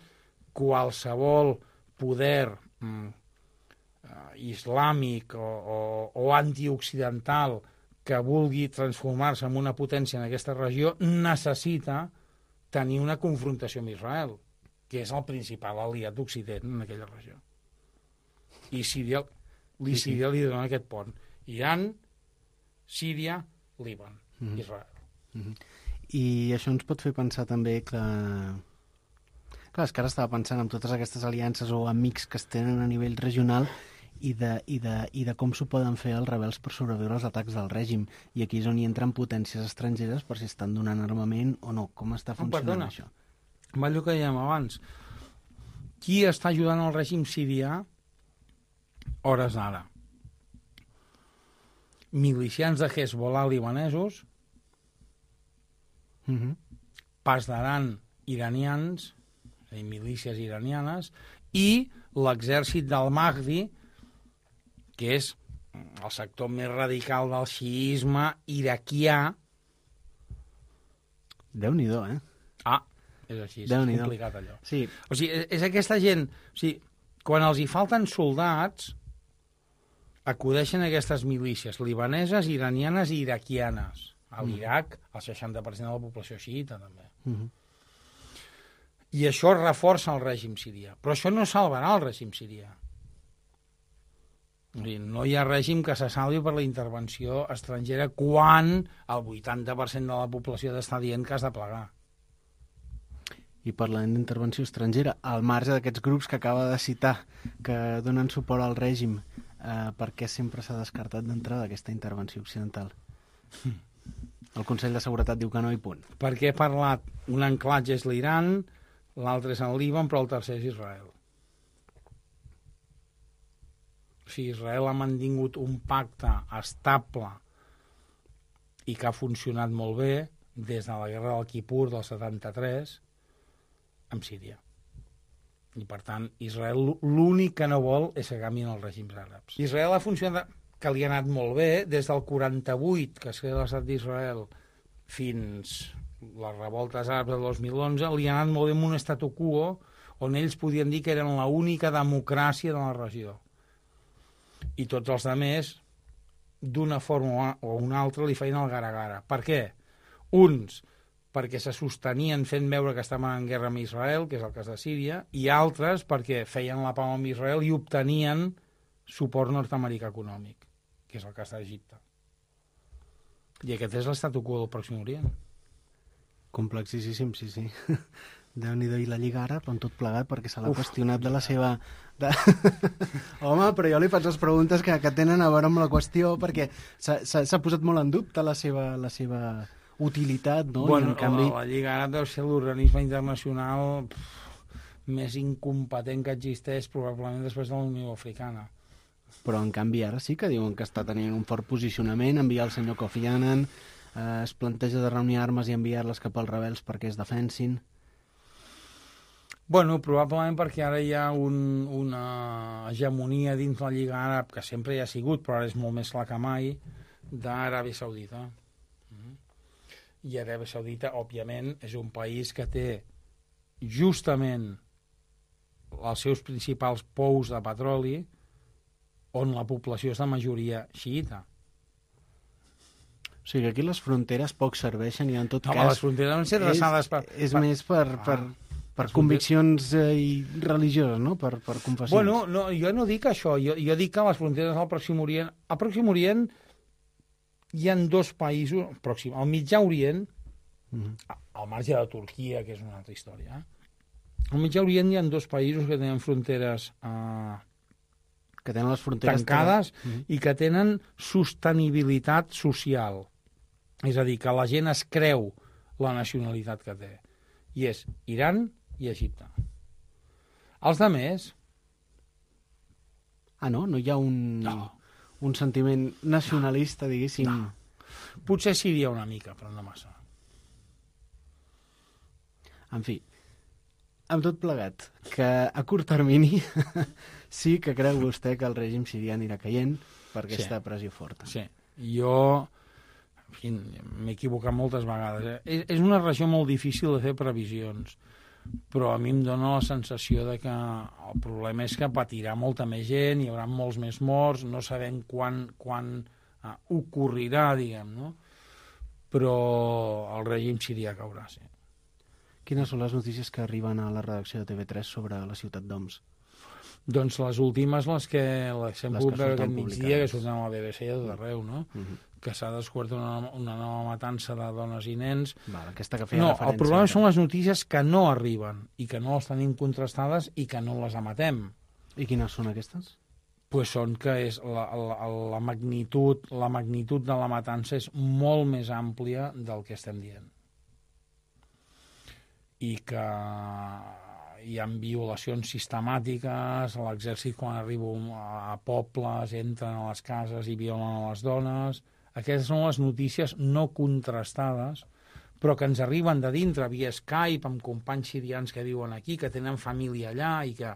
S4: qualsevol poder mm, uh, islàmic o, o, o antioccidental que vulgui transformar-se en una potència en aquesta regió necessita tenir una confrontació amb Israel, que és el principal aliat d'Occident en aquella regió. I Síria, li, sí, sí. Síria li dona aquest pont. Iran, Síria, Líban, mm-hmm. Israel.
S2: Mm-hmm. I això ens pot fer pensar també que... Clar, és que ara estava pensant en totes aquestes aliances o amics que es tenen a nivell regional i de, i de, i de com s'ho poden fer els rebels per sobreviure als atacs del règim. I aquí és on hi entren potències estrangeres per si estan donant armament o no. Com està funcionant oh, això?
S4: Va allò que dèiem abans. Qui està ajudant el règim sirià hores d'ara? Milicians de Hezbollah libanesos,
S2: uh-huh.
S4: pas d'Aran iranians, i milícies iranianes, i l'exèrcit del Mahdi, que és el sector més radical del xiisme iraquià.
S2: Déu-n'hi-do, eh?
S4: Ah, és així, és complicat allò.
S2: Sí.
S4: O sigui, és, és aquesta gent... O sigui, quan els hi falten soldats, acudeixen a aquestes milícies libaneses, iranianes i iraquianes. A l'Iraq, el seixanta per cent de la població xiïta, també.
S2: Uh-huh.
S4: I això reforça el règim sirià. Però això no salvarà el règim sirià. No hi ha règim que se salvi per la intervenció estrangera quan el vuitanta per cent de la població està dient que has de plegar.
S2: I parlant d'intervenció estrangera, al marge d'aquests grups que acaba de citar, que donen suport al règim, eh, per què sempre s'ha descartat d'entrada aquesta intervenció occidental? El Consell de Seguretat diu que no i punt.
S4: Perquè he parlat, un anclatge és l'Iran, l'altre és el Líban, però el tercer és Israel. O sigui, Israel ha mantingut un pacte estable i que ha funcionat molt bé des de la guerra del Kipur del setanta-tres amb Síria. I, per tant, Israel l'únic que no vol és que canviïn els règims àrabs. Israel ha funcionat, que li ha anat molt bé, des del quaranta-vuit, que es crea l'estat d'Israel, fins les revoltes àrabs del dos mil onze, li ha anat molt bé amb un statu quo on ells podien dir que eren l'única democràcia de la regió. I tots els altres, d'una forma o una altra, li feien el gara-gara. Per què? Uns perquè se sostenien fent veure que estaven en guerra amb Israel, que és el cas de Síria, i altres perquè feien la pau amb Israel i obtenien suport nord-americà econòmic, que és el cas d'Egipte. I aquest és l'estatu quo del Pròxim Orient.
S2: Complexíssim, sí, sí. Déu-n'hi-do, i la Lliga Àrab amb tot plegat, perquè se l'ha qüestionat de la seva... De... Home, però jo li faig les preguntes que, que tenen a veure amb la qüestió, perquè s'ha posat molt en dubte la seva... La seva... utilitat, no?
S4: Bueno,
S2: I en canvi...
S4: la Lliga Àrab deu ser l'organisme internacional pff, més incompetent que existeix probablement després de la Unió Africana.
S2: Però en canvi ara sí que diuen que està tenint un fort posicionament, enviar el senyor Kofi Annan, eh, es planteja de reunir armes i enviar-les cap als rebels perquè es defensin.
S4: Bueno, probablement perquè ara hi ha un, una hegemonia dins la Lliga Àrab, que sempre hi ha sigut, però ara és molt més clar que mai, d'Aràbia Saudita. I Aràbia Saudita, òbviament, és un país que té justament els seus principals pous de petroli on la població és de majoria xiïta.
S2: O sigui, aquí les fronteres poc serveixen i en tot
S4: Home,
S2: cas...
S4: les fronteres van ser traçades per...
S2: És
S4: per...
S2: més per, per, ah, per conviccions eh, religioses, no? Per, per confessions.
S4: Bueno, no, jo no dic això. Jo, jo dic que les fronteres al Pròxim Orient... Al Pròxim Orient hi ha dos països, pròxim, al Mitjà Orient, mm-hmm. al marge de Turquia, que és una altra història, eh? al Mitjà Orient hi ha dos països que tenen fronteres eh,
S2: que tenen les fronteres
S4: tancades
S2: tenen... mm-hmm.
S4: i que tenen sostenibilitat social. És a dir, que la gent es creu la nacionalitat que té. I és Iran i Egipte. Els altres...
S2: Ah, no? No hi ha un...
S4: No.
S2: un sentiment nacionalista, no. diguéssim.
S4: No. Potser Síria una mica, però no massa.
S2: En fi, amb tot plegat, que a curt termini sí que creu vostè que el règim sirià anirà caient per aquesta sí. pressió forta.
S4: Sí, jo en fi, m'he equivocat moltes vegades. Eh? És una regió molt difícil de fer previsions, però a mi em dóna la sensació de que el problema és que patirà molta més gent, hi haurà molts més morts, no sabem quan, quan uh, ocorrirà, diguem, no? Però el règim sirià caurà, sí.
S2: Quines són les notícies que arriben a la redacció de T V tres sobre la ciutat d'Homs?
S4: Doncs les últimes, les que les hem pogut veure aquest migdia, que surten a la B B C i a tot arreu, no? Uh-huh. Que s'ha descobert una, una nova matança de dones i nens.
S2: Val, aquesta que feia
S4: no,
S2: referència.
S4: El problema són les notícies que no arriben i que no les tenim contrastades i que no les emetem.
S2: I quines són aquestes?
S4: Pues són que és la, la, la, magnitud, la magnitud de la matança és molt més àmplia del que estem dient. I que hi ha violacions sistemàtiques, l'exèrcit quan arriba a pobles entren a les cases i violen a les dones. Aquestes són les notícies no contrastades, però que ens arriben de dintre via Skype amb companys sirians que viuen aquí, que tenen família allà i que...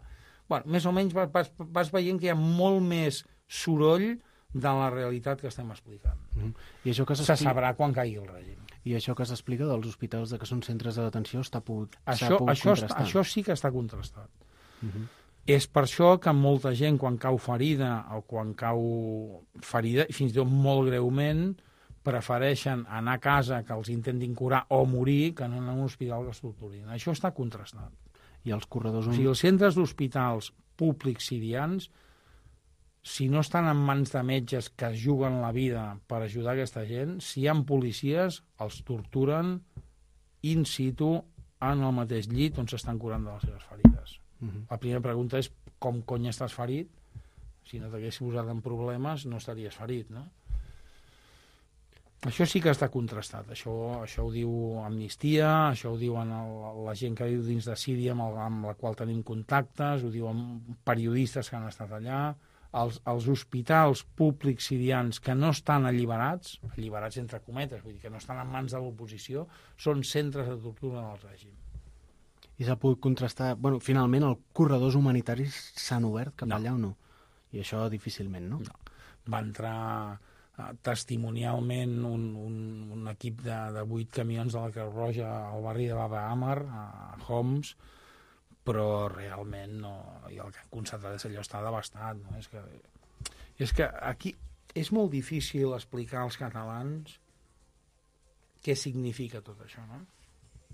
S4: Bueno, més o menys vas, vas veient que hi ha molt més soroll de la realitat que estem explicant.
S2: Mm. I això que
S4: se sabrà quan caigui el règim.
S2: I això que s'explica dels hospitals de que són centres de detenció està pogut,
S4: això,
S2: pogut
S4: això,
S2: contrastar.
S4: Això sí que està contrastat.
S2: Mm-hmm.
S4: És per això que molta gent, quan cau ferida o quan cau ferida, fins i tot molt greument, prefereixen anar a casa que els intentin curar o morir que no anar a un hospital que es torturin. Això està contrastat.
S2: I els corredors...
S4: O sigui, els centres d'hospitals públics sirians, si no estan en mans de metges que es juguen la vida per ajudar aquesta gent, si hi ha policies, els torturen in situ en el mateix llit on s'estan curant de les seves ferides. Uh-huh. La primera pregunta és com cony estàs ferit? Si no t'haguessis posat en problemes no estaries ferit, no? Això sí que està contrastat. Això, això ho diu Amnistia, això ho diuen el, la gent que viu dins de Síria amb, el, amb la qual tenim contactes, ho diuen periodistes que han estat allà. Els, els hospitals públics sirians que no estan alliberats, alliberats entre cometes, vull dir que no estan en mans de l'oposició, són centres de tortura del règim.
S2: I s'ha pogut contrastar... Bueno, finalment, els corredors humanitaris s'han obert cap
S4: No.
S2: allà o no? I això difícilment, no?
S4: No. Va entrar eh, testimonialment un, un, un equip de, de vuit camions de la Creu Roja al barri de Baba Amar, a Homs, però realment no, i el que han constatat és allò està devastat. No? És, que, és que aquí és molt difícil explicar als catalans què significa tot això, no?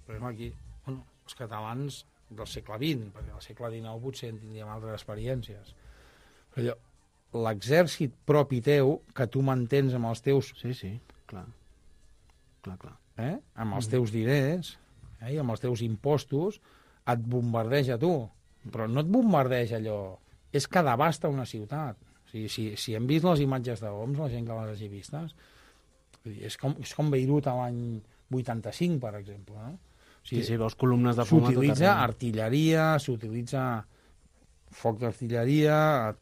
S4: Per exemple, aquí, bueno, els catalans del segle vint, perquè al segle dinou potser en tindríem altres experiències. Però allò, l'exèrcit propi teu, que tu mantens amb els teus...
S2: Sí, sí, clar. Clar, clar.
S4: Eh? Amb els teus diners, eh? I amb els teus impostos, et bombardeja tu. Però no et bombardeja allò... És que devasta una ciutat. O sigui, si, si hem vist les imatges de Homs, la gent que les hagi vistes, és com, és com Beirut a l'any vuitanta-cinc, per exemple, no? O sigui,
S2: Sí, sí, veus columnes de fum a tot
S4: s'utilitza
S2: arreu.
S4: artilleria, s'utilitza foc d'artilleria,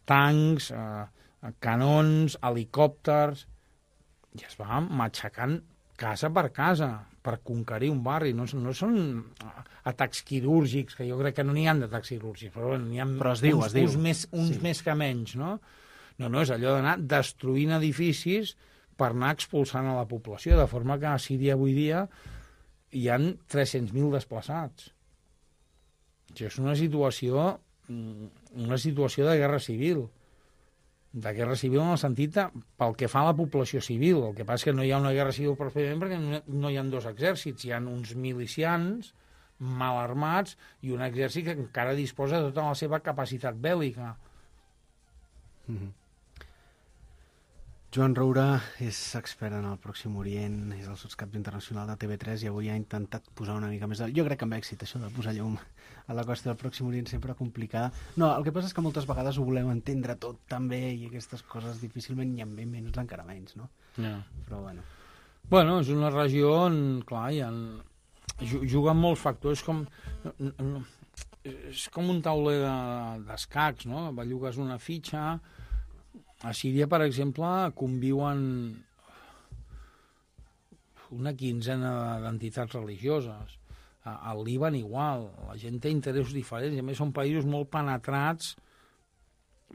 S4: tancs, eh, canons, helicòpters, i es va matxacant casa per casa per conquerir un barri. No, no són atacs quirúrgics, que jo crec que no n'hi ha d'atacs quirúrgics, però n'hi ha
S2: Però es diu,
S4: uns,
S2: es diu.
S4: uns, més, uns
S2: Sí.
S4: més que menys, no? No, no, és allò d'anar destruint edificis per anar expulsant a la població, de forma que a Síria avui dia hi han tres-cents mil desplaçats. Això és una situació, una situació de guerra civil. De guerra civil en el sentit de, pel que fa a la població civil. El que passa és que no hi ha una guerra civil pròpiament perquè no, no hi ha dos exèrcits. Hi ha uns milicians mal armats i un exèrcit que encara disposa de tota la seva capacitat bèl·lica.
S2: Mhm. Joan Roura és expert en el Pròxim Orient, és el sotscap internacional de T V tres i avui ha intentat posar una mica més... De... Jo crec que amb èxit, això de posar llum a la qüestió del Pròxim Orient sempre complicada. No, el que passa és que moltes vegades ho volem entendre tot tan bé i aquestes coses difícilment i amb ben menys encara menys, no?
S4: Ja.
S2: Però bueno...
S4: Bueno, és una regió on, clar, hi ha... juguen molts factors, com... és com un tauler d'escacs, no? Bellugues una fitxa... A Síria, per exemple, conviuen una quinzena d'entitats religioses. Al Líban igual. La gent té interessos diferents. I a més són països molt penetrats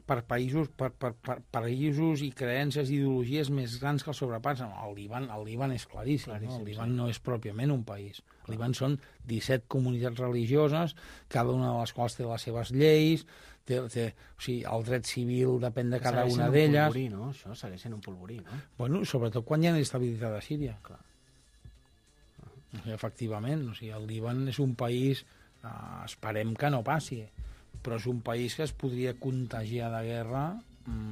S4: per països, per, per, per països i creences i ideologies més grans que el sobrepassen. El Líban, el Líban és claríssim. claríssim no? El Líban sí. no és pròpiament un país. El Líban són disset comunitats religioses, cada una de les quals té les seves lleis, té, té, o sigui, el dret civil depèn de cada una d'elles.
S2: Segueix sent un polvorí, no? Això segueix sent un polvorí, no?
S4: Bueno, sobretot quan hi ha inestabilitat a Síria.
S2: Clar.
S4: O sigui, efectivament, o sigui, el Líban és un país, eh, esperem que no passi, però és un país que es podria contagiar de guerra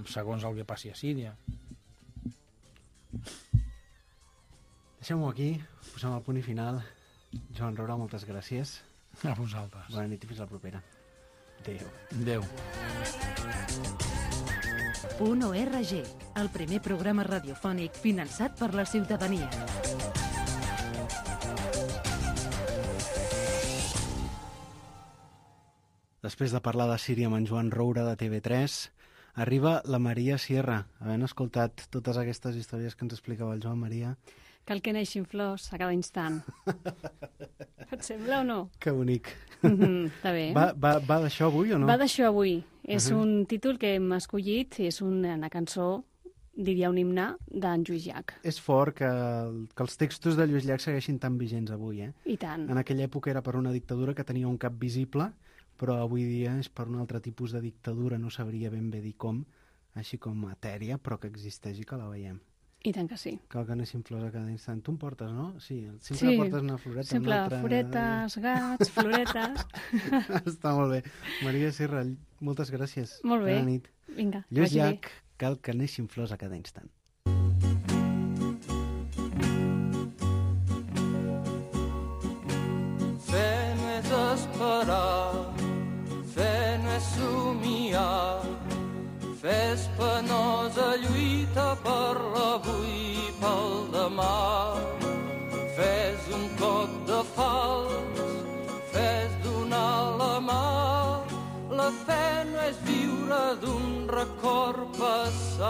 S4: segons el que passi a Síria.
S2: Deixem-ho aquí, posem el punt i final. Joan Roura, moltes gràcies.
S4: A vosaltres.
S2: Bona nit i fins la propera. Adéu.
S4: Adéu.
S1: Punt O R G, el primer programa radiofònic finançat per la ciutadania.
S2: Després de parlar de Síria amb en Joan Roura de T V tres, arriba la Maria Sierra. Havent escoltat totes aquestes històries que ens explicava el Joan Maria...
S5: Cal que neixin flors a cada instant. Et sembla o no?
S2: Que bonic.
S5: Mm-hmm, està bé.
S2: Va, va, va d'això avui o no?
S5: Va d'això avui. És
S2: Uh-huh.
S5: un títol que hem escollit, és una cançó, diria un himne, d'en Lluís Llach.
S2: És fort que, que els textos de Lluís Llach segueixin tan vigents avui, eh?
S5: I tant.
S2: En aquella època era per una dictadura que tenia un cap visible, però avui dia és per un altre tipus de dictadura, no sabria ben bé dir com, així com etèria, però que existeix i que la veiem.
S5: I tant que sí.
S2: Cal que anessin flors a cada instant. Tu em portes, no? Sí, sempre
S5: Sí,
S2: portes una floreta.
S5: Sempre
S2: una altra...
S5: floretes, gats, floretes...
S2: Està molt bé. Maria Serra, moltes gràcies.
S5: Molt bé.
S2: Bona nit.
S5: Vinga,
S2: Lluís
S5: vagi bé.
S2: Llach, cal que neixin flors a cada instant.
S6: Fe no és esperar, fe no és somiar, fe és penosa lluita per l'avui i pel demà. Fe és un cop de fals, fe és donar la mà. La fe no és viure d'un record passat.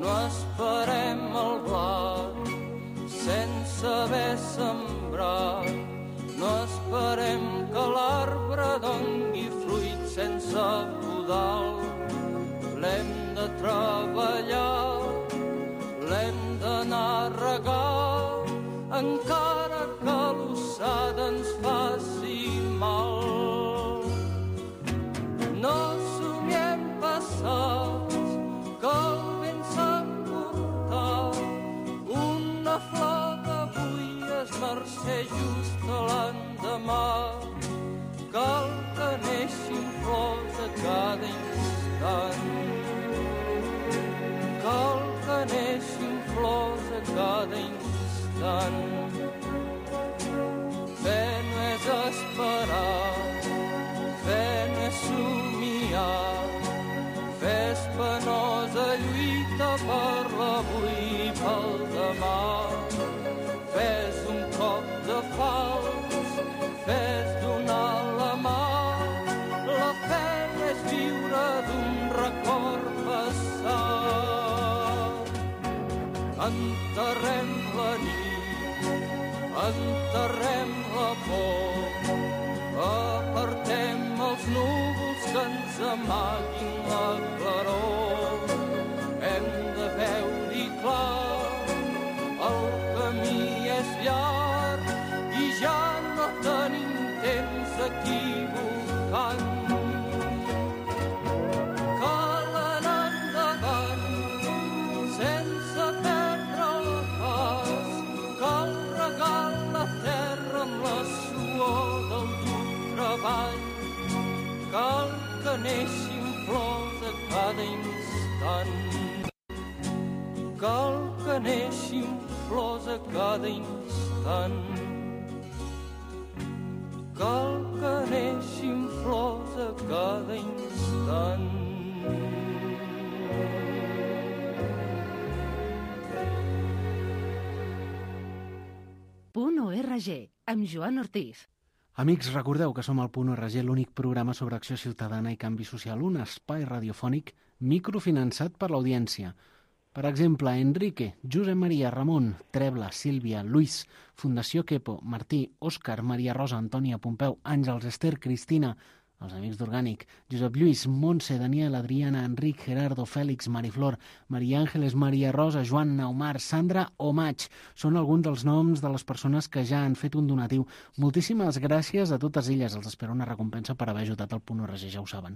S6: No esperem el blat sense haver sembrat. esperem que l'arbre dongui fruit sense podal. L'hem de treballar, l'hem d'anar a regar, encara que l'ossada ens faci mal. No somiem passats, que el vent s'ha emportat. Una flor d'avui es marxa just a l'endemà. Cal que neixin flors a cada instant. Cal que neixin flors a cada instant. Fe no és esperar, fe no és somiar, fe és penosa lluita per l'avui i pel demà. Fe és un cop de fals, fe és donar la mà. La fe és viure d'un record passat. Enterrem la nit, enterrem la por, apartem els núvols que ens amaguin la claror. Hem de veure-hi clar, el camí és llarg i ja no tenim temps equivocant. Cal anar endavant sense perdre el pas, cal regar la terra amb la suor del dur treball. Cal que neixin flors a cada instant. Cal que neixin flors a cada instant. Cal que neixin flors a cada instant.
S1: Punt .org, amb Joan Ortiz.
S2: Amics, recordeu que som al Punt .org, l'únic programa sobre acció ciutadana i canvi social, un espai radiofònic microfinançat per l'audiència. Per exemple, Enrique, Josep Maria, Ramon, Trebla, Sílvia, Luis, Fundació Quepo, Martí, Òscar, Maria Rosa, Antònia, Pompeu, Àngels, Esther, Cristina, els amics d'Orgànic, Josep Lluís, Montse, Daniel, Adriana, Enric, Gerardo, Fèlix, Mariflor, Maria Àngeles, Maria Rosa, Joan, Naumar, Sandra o Maig. Són alguns dels noms de les persones que ja han fet un donatiu. Moltíssimes gràcies a totes elles. Els espero una recompensa per haver ajudat al Punt .org, ja ho saben.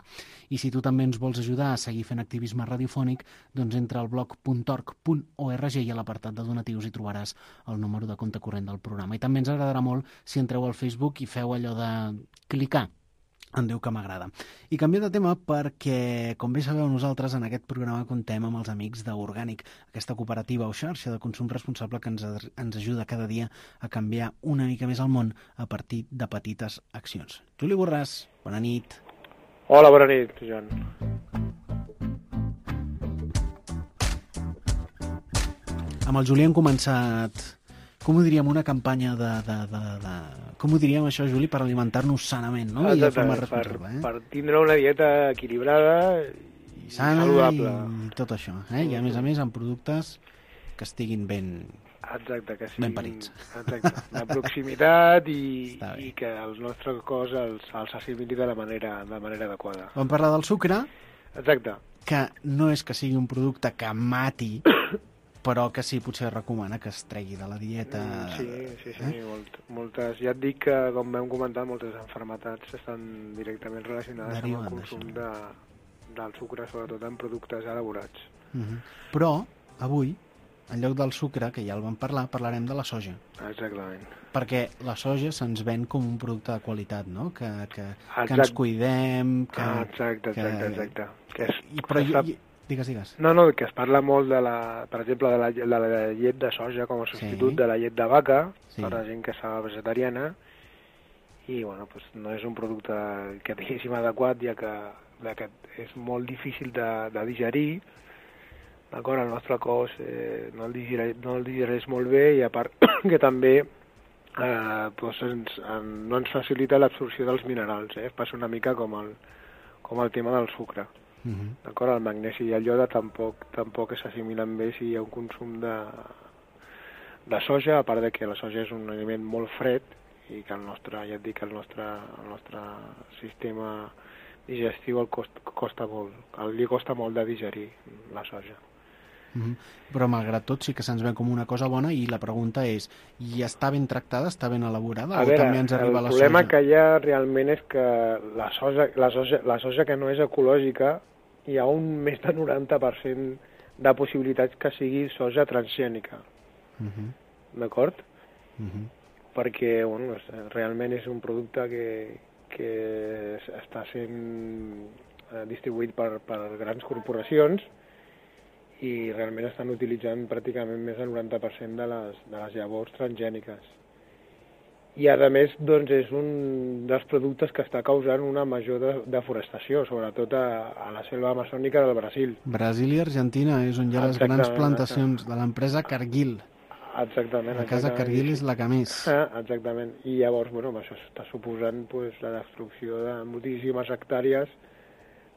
S2: I si tu també ens vols ajudar a seguir fent activisme radiofònic, doncs entra al blog punt org punt org i a l'apartat de donatius hi trobaràs el número de compte corrent del programa. I també ens agradarà molt si entreu al Facebook i feu allò de clicar en Déu que m'agrada. I canvio de tema perquè, com bé sabeu, nosaltres en aquest programa contem amb els amics d'Orgànic, aquesta cooperativa o xarxa de consum responsable que ens, ens ajuda cada dia a canviar una mica més el món a partir de petites accions. Juli Borràs, bona nit.
S7: Hola, bona nit, Joan.
S2: Amb el Juli hem començat, com ho diríem, una campanya de... de, de, de... Com ho diríem això, Juli, per alimentar-nos sanament, no?
S7: Exacte,
S2: I de forma responsable,
S7: per,
S2: eh?
S7: per tindre una dieta equilibrada i,
S2: I sana
S7: saludable.
S2: I tot això, eh? I a més a més amb productes que estiguin ben,
S7: Exacte, que
S2: ben parits.
S7: Exacte, de proximitat i, i
S2: Està bé.
S7: que el nostre cos els, els assimili de la manera, de la manera adequada.
S2: Vam parlar del sucre,
S7: Exacte.
S2: que no és que sigui un producte que mati, però que sí, potser recomana que es tregui de la dieta.
S7: Sí, sí, sí,
S2: eh?
S7: molt, moltes. Ja et dic que, com vam comentar, moltes malalties estan directament relacionades
S2: Deriven
S7: amb el consum
S2: d'això.
S7: de, del sucre, sobretot en productes elaborats.
S2: Uh -huh. Però, avui, en lloc del sucre, que ja el vam parlar, parlarem de la soja.
S7: Exactament.
S2: Perquè la soja se'ns ven com un producte de qualitat, no? Que, que, que
S7: Exacte.
S2: ens cuidem, que...
S7: Ah, exacte, exacte,
S2: que...
S7: exacte. Que és,
S2: I, però jo, jo, digues, digues.
S7: No, no, que es parla molt, de la, per exemple, de la, de la llet de soja com a substitut
S2: Sí.
S7: de la llet de vaca,
S2: Sí.
S7: per la gent que està vegetariana, i bueno, pues, no és un producte que diguéssim adequat, ja que, ja que és molt difícil de, de digerir, d'acord? El nostre cos eh, no, el digereix, no el digereix molt bé, i a part que també eh, pues ens, en, no ens facilita l'absorció dels minerals, eh? Passa una mica com el, com el tema del sucre.
S2: Uh -huh.
S7: D'acord? El magnesi i el ioda tampoc, tampoc s'assimilen bé si hi ha un consum de, de soja, a part de que la soja és un aliment molt fred i que el nostre, ja et dic, el nostre, el nostre sistema digestiu el cost, costa molt, li costa molt de digerir la soja.
S2: Mm-hmm. Però malgrat tot sí que se'ns ve com una cosa bona i la pregunta és, i està ben tractada, està ben elaborada
S7: a
S2: o
S7: veure,
S2: també ens arriba la soja?
S7: El problema que hi ha realment és que la soja, la, soja, la soja que no és ecològica hi ha un més de noranta per cent de possibilitats que sigui soja transgènica.
S2: Mm-hmm.
S7: D'acord?
S2: Mm-hmm.
S7: Perquè bueno, realment és un producte que, que està sent distribuït per, per grans corporacions i realment estan utilitzant pràcticament més del noranta per cent de les, de les llavors transgèniques. I, a més, doncs, és un dels productes que està causant una major de, deforestació, sobretot a, a la selva amazònica del Brasil.
S2: Brasil i Argentina és on hi ha les grans plantacions de l'empresa Cargill.
S7: Exactament.
S2: La casa
S7: exactament.
S2: Cargill és la que més.
S7: Ah, exactament. I llavors, bueno, això està suposant pues, la destrucció de moltíssimes hectàrees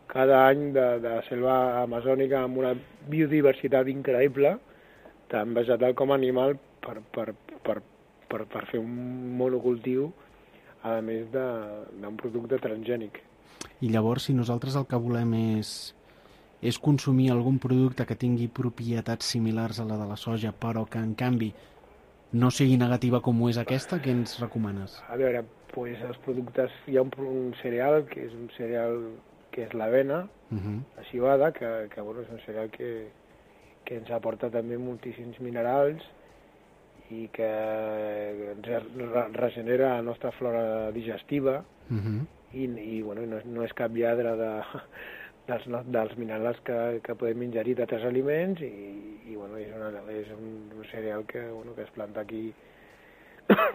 S7: cada any de, de selva amazònica amb una biodiversitat increïble, tant vegetal com animal, per, per, per, per, per fer un monocultiu, a més d'un producte transgènic.
S2: I llavors, si nosaltres el que volem és, és consumir algun producte que tingui propietats similars a la de la soja, però que, en canvi, no sigui negativa com ho és aquesta, què ens recomanes?
S7: A veure, pues, els productes... Hi ha un, un cereal, que és un cereal... que és l'avena, uh-huh. la civada, que, que bueno, és un cereal que, que ens aporta també moltíssims minerals i que ens regenera la nostra flora digestiva uh-huh. i, i bueno, no, no és cap lladre de, dels, dels minerals que, que podem ingerir d'altres aliments i, i bueno, és, una, és un cereal que, bueno, que es planta aquí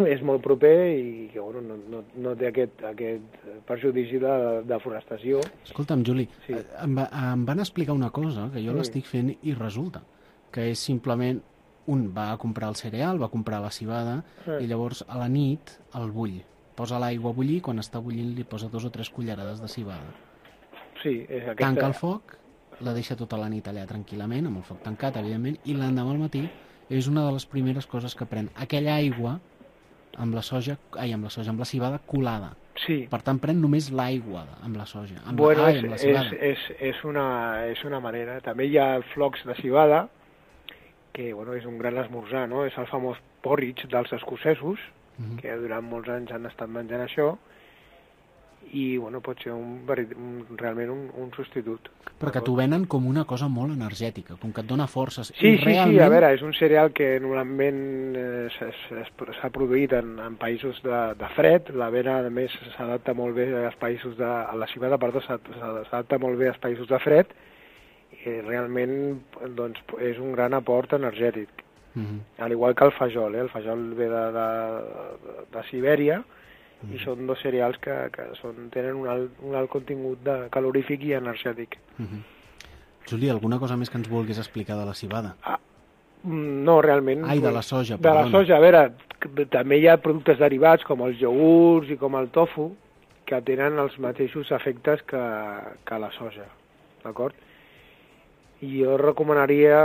S7: és molt proper i que bueno, no, no, no té aquest, aquest perjudici de deforestació.
S2: Escolta'm, Juli,
S7: sí.
S2: em, va, em van explicar una cosa que jo sí. l'estic fent i resulta, que és simplement un va a comprar el cereal, va a comprar la civada sí. i llavors a la nit el bull. Posa l'aigua a bullir, quan està bullint li posa dos o tres cullerades de civada.
S7: Sí, és aquesta...
S2: Tanca el foc, la deixa tota la nit allà tranquil·lament, amb el foc tancat, evidentment, i l'endemà al matí és una de les primeres coses que pren. Aquella aigua amb la soja, ai, amb la soja, amb la civada colada.
S7: Sí.
S2: Per tant, pren només l'aigua amb la soja. Amb
S7: bueno,
S2: la, ai,
S7: és,
S2: amb la civada.
S7: És, és, és, una, és una manera. També hi ha flocs de civada, que bueno, és un gran esmorzar, no? És el famós porridge dels escocesos, uh-huh. que durant molts anys han estat menjant això, i bueno, pot ser un, un, realment un, un substitut.
S2: Però que t'ho venen com una cosa molt energètica, com que et dona forces.
S7: Sí,
S2: I
S7: sí,
S2: realment...
S7: sí, a veure, és un cereal que normalment eh, s'ha produït en, en països de, de fred, l'avena a més s'adapta molt bé als països de... la civada, perdó, s'adapta molt bé als països de fred, i realment doncs, és un gran aport energètic. Uh-huh. Al igual que el fajol, eh? El fajol ve de, de, de, de Sibèria, i són dos cereals que, que són, tenen un alt, un alt contingut de calorífic i energètic.
S2: Uh-huh. Juli, alguna cosa més que ens vulguis explicar de la civada?
S7: Ah, no, realment...
S2: Ai, de la soja,
S7: de perdona. De la soja, a veure, també hi ha productes derivats com els iogurts i com el tofu que tenen els mateixos efectes que, que la soja, d'acord? I jo recomanaria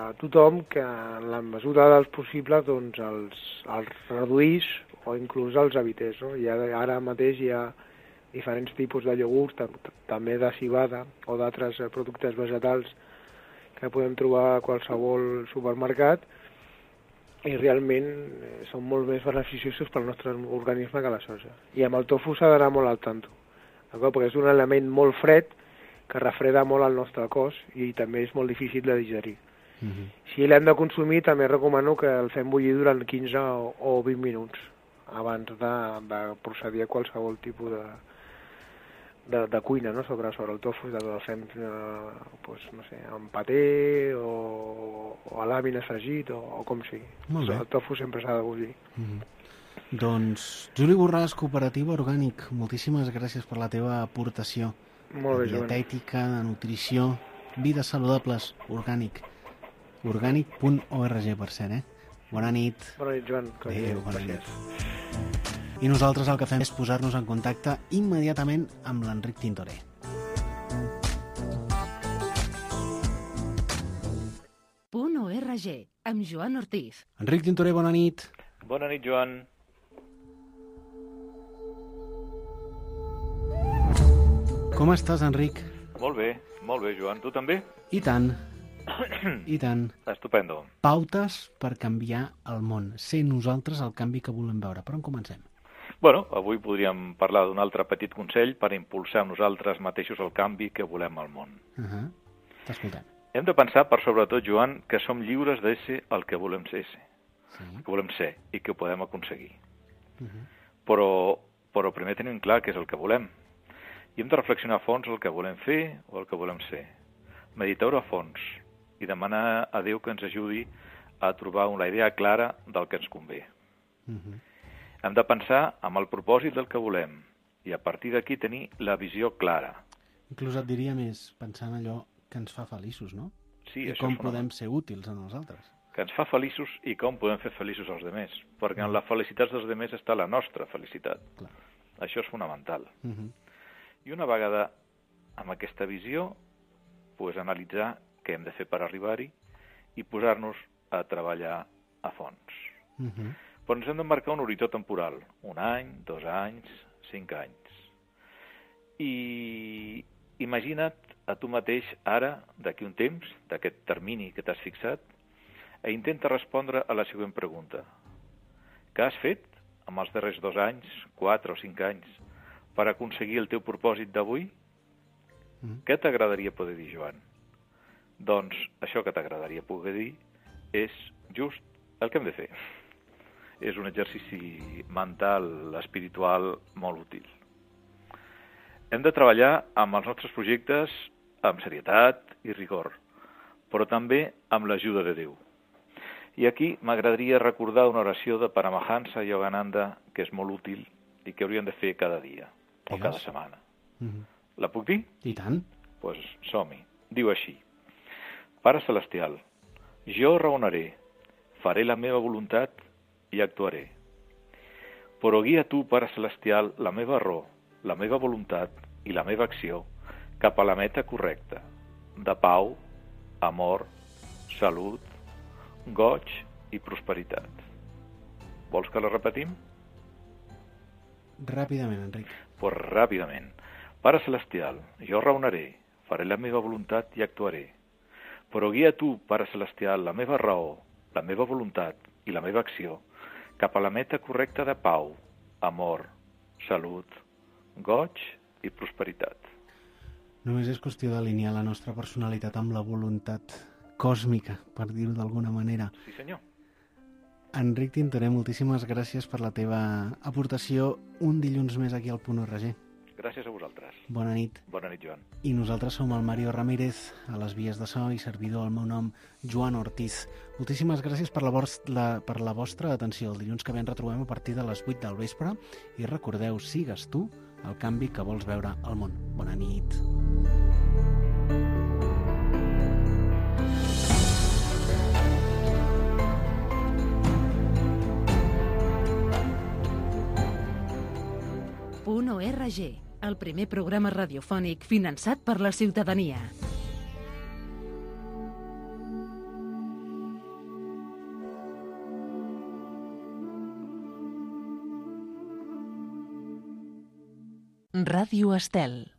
S7: a tothom que en la mesura dels possibles doncs, els, els reduís o inclús els evités. No? I ara, ara mateix hi ha diferents tipus de iogurts, també de civada o d'altres productes vegetals que podem trobar a qualsevol supermercat i realment són molt més beneficiosos pel nostre organisme que la soja. I amb el tofu s'ha d'anar molt al tanto, perquè és un element molt fred que refreda molt el nostre cos i també és molt difícil de digerir. Uh-huh. Si l'hem de consumir, també recomano que el fem bullir durant quinze o vint minuts abans de, de procedir a qualsevol tipus de, de, de cuina, no? sobre, sobre el tofu, el fem eh, pues, no sé, amb paté o, o a làmines fregit o, o com sigui. El tofu sempre s'ha de bullir.
S2: Mm-hmm. Doncs, Juli Borràs, Cooperativa Orgànic, moltíssimes gràcies per la teva aportació.
S7: Molt bé, Joan.
S2: Dietètica, de nutrició, vides saludables, orgànic. orgànic punt org, per cert, eh? Bona nit.
S7: Bona nit, Joan.
S2: Adéu, bona nit. I nosaltres el que fem és posar-nos en contacte immediatament amb l'Enric Tintoré.
S1: Punt org, amb Joan Ortiz.
S2: Enric Tintoré, bona nit.
S8: Bona nit, Joan.
S2: Com estàs, Enric?
S8: Molt bé, molt bé, Joan. Tu també?
S2: I tant, i tant.
S8: Estupendo.
S2: Pautes per canviar el món. Ser nosaltres el canvi que volem veure. Per on comencem?
S8: Bueno, avui podríem parlar d'un altre petit consell per impulsar nosaltres mateixos el canvi que volem al món.
S2: Uh -huh. T'escoltem.
S8: Hem de pensar, per sobretot, Joan, que som lliures de ser el que volem ser,
S2: Sí.
S8: que volem ser i que ho podem aconseguir.
S2: Uh -huh.
S8: Però, però primer tenim clar què és el que volem. I hem de reflexionar a fons el que volem fer o el que volem ser. Meditar-ho a fons i demanar a Déu que ens ajudi a trobar una idea clara del que ens convé.
S2: Uh -huh.
S8: Hem de pensar amb el propòsit del que volem i a partir d'aquí tenir la visió clara.
S2: Inclús et diria més, pensant allò que ens fa feliços, no?
S8: Sí,
S2: I
S8: això
S2: com
S8: és fonamental.
S2: podem ser útils a nosaltres.
S8: Que ens fa feliços i com podem fer feliços als demés. Perquè en la felicitat dels demés està la nostra felicitat.
S2: Clar.
S8: Això és fonamental.
S2: Uh -huh.
S8: I una vegada amb aquesta visió, pues, analitzar què hem de fer per arribar-hi i posar-nos a treballar a fons.
S2: Uh -huh.
S8: Però ens hem de marcar un horitzó temporal. Un any, dos anys, cinc anys. I imagina't a tu mateix ara, d'aquí un temps, d'aquest termini que t'has fixat, i intenta respondre a la següent pregunta. Què has fet amb els darrers dos anys, quatre o cinc anys, per aconseguir el teu propòsit d'avui?
S2: Mm.
S8: Què t'agradaria poder dir, Joan? Doncs això que t'agradaria poder dir és just el que hem de fer. És un exercici mental, espiritual, molt útil. Hem de treballar amb els nostres projectes amb serietat i rigor, però també amb l'ajuda de Déu. I aquí m'agradaria recordar una oració de Paramahansa Yogananda que és molt útil i que hauríem de fer cada dia o cada setmana.
S2: Uh -huh.
S8: La puc dir?
S2: I tant.
S8: Doncs pues som-hi. Diu així. Pare Celestial, jo raonaré, faré la meva voluntat i actuaré. Però guia tu, Pare Celestial, la meva raó, la meva voluntat i la meva acció cap a la meta correcta, de pau, amor, salut, goig i prosperitat. Vols que la repetim?
S2: Ràpidament, Enric.
S8: Pues ràpidament. Pare Celestial, jo raonaré, faré la meva voluntat i actuaré. Però guia tu, Pare Celestial, la meva raó, la meva voluntat i la meva acció cap a la meta correcta de pau, amor, salut, goig i prosperitat.
S2: Només és qüestió d'alinear la nostra personalitat amb la voluntat còsmica, per dir-ho d'alguna manera.
S8: Sí, senyor.
S2: Enric Tintoré, moltíssimes gràcies per la teva aportació un dilluns més aquí al Punt O R G.
S8: Gràcies a vosaltres.
S2: Bona nit.
S8: Bona nit, Joan.
S2: I nosaltres som el Mario Ramírez, a les vies de so i servidor, el meu nom, Joan Ortiz. Moltíssimes gràcies per la, la, per la vostra atenció. El dilluns que ve ens retrobem a partir de les vuit del vespre i recordeu, sigues tu el canvi que vols veure al món. Bona nit.
S1: Punt O R G, el primer programa radiofònic finançat per la ciutadania. Ràdio Estel.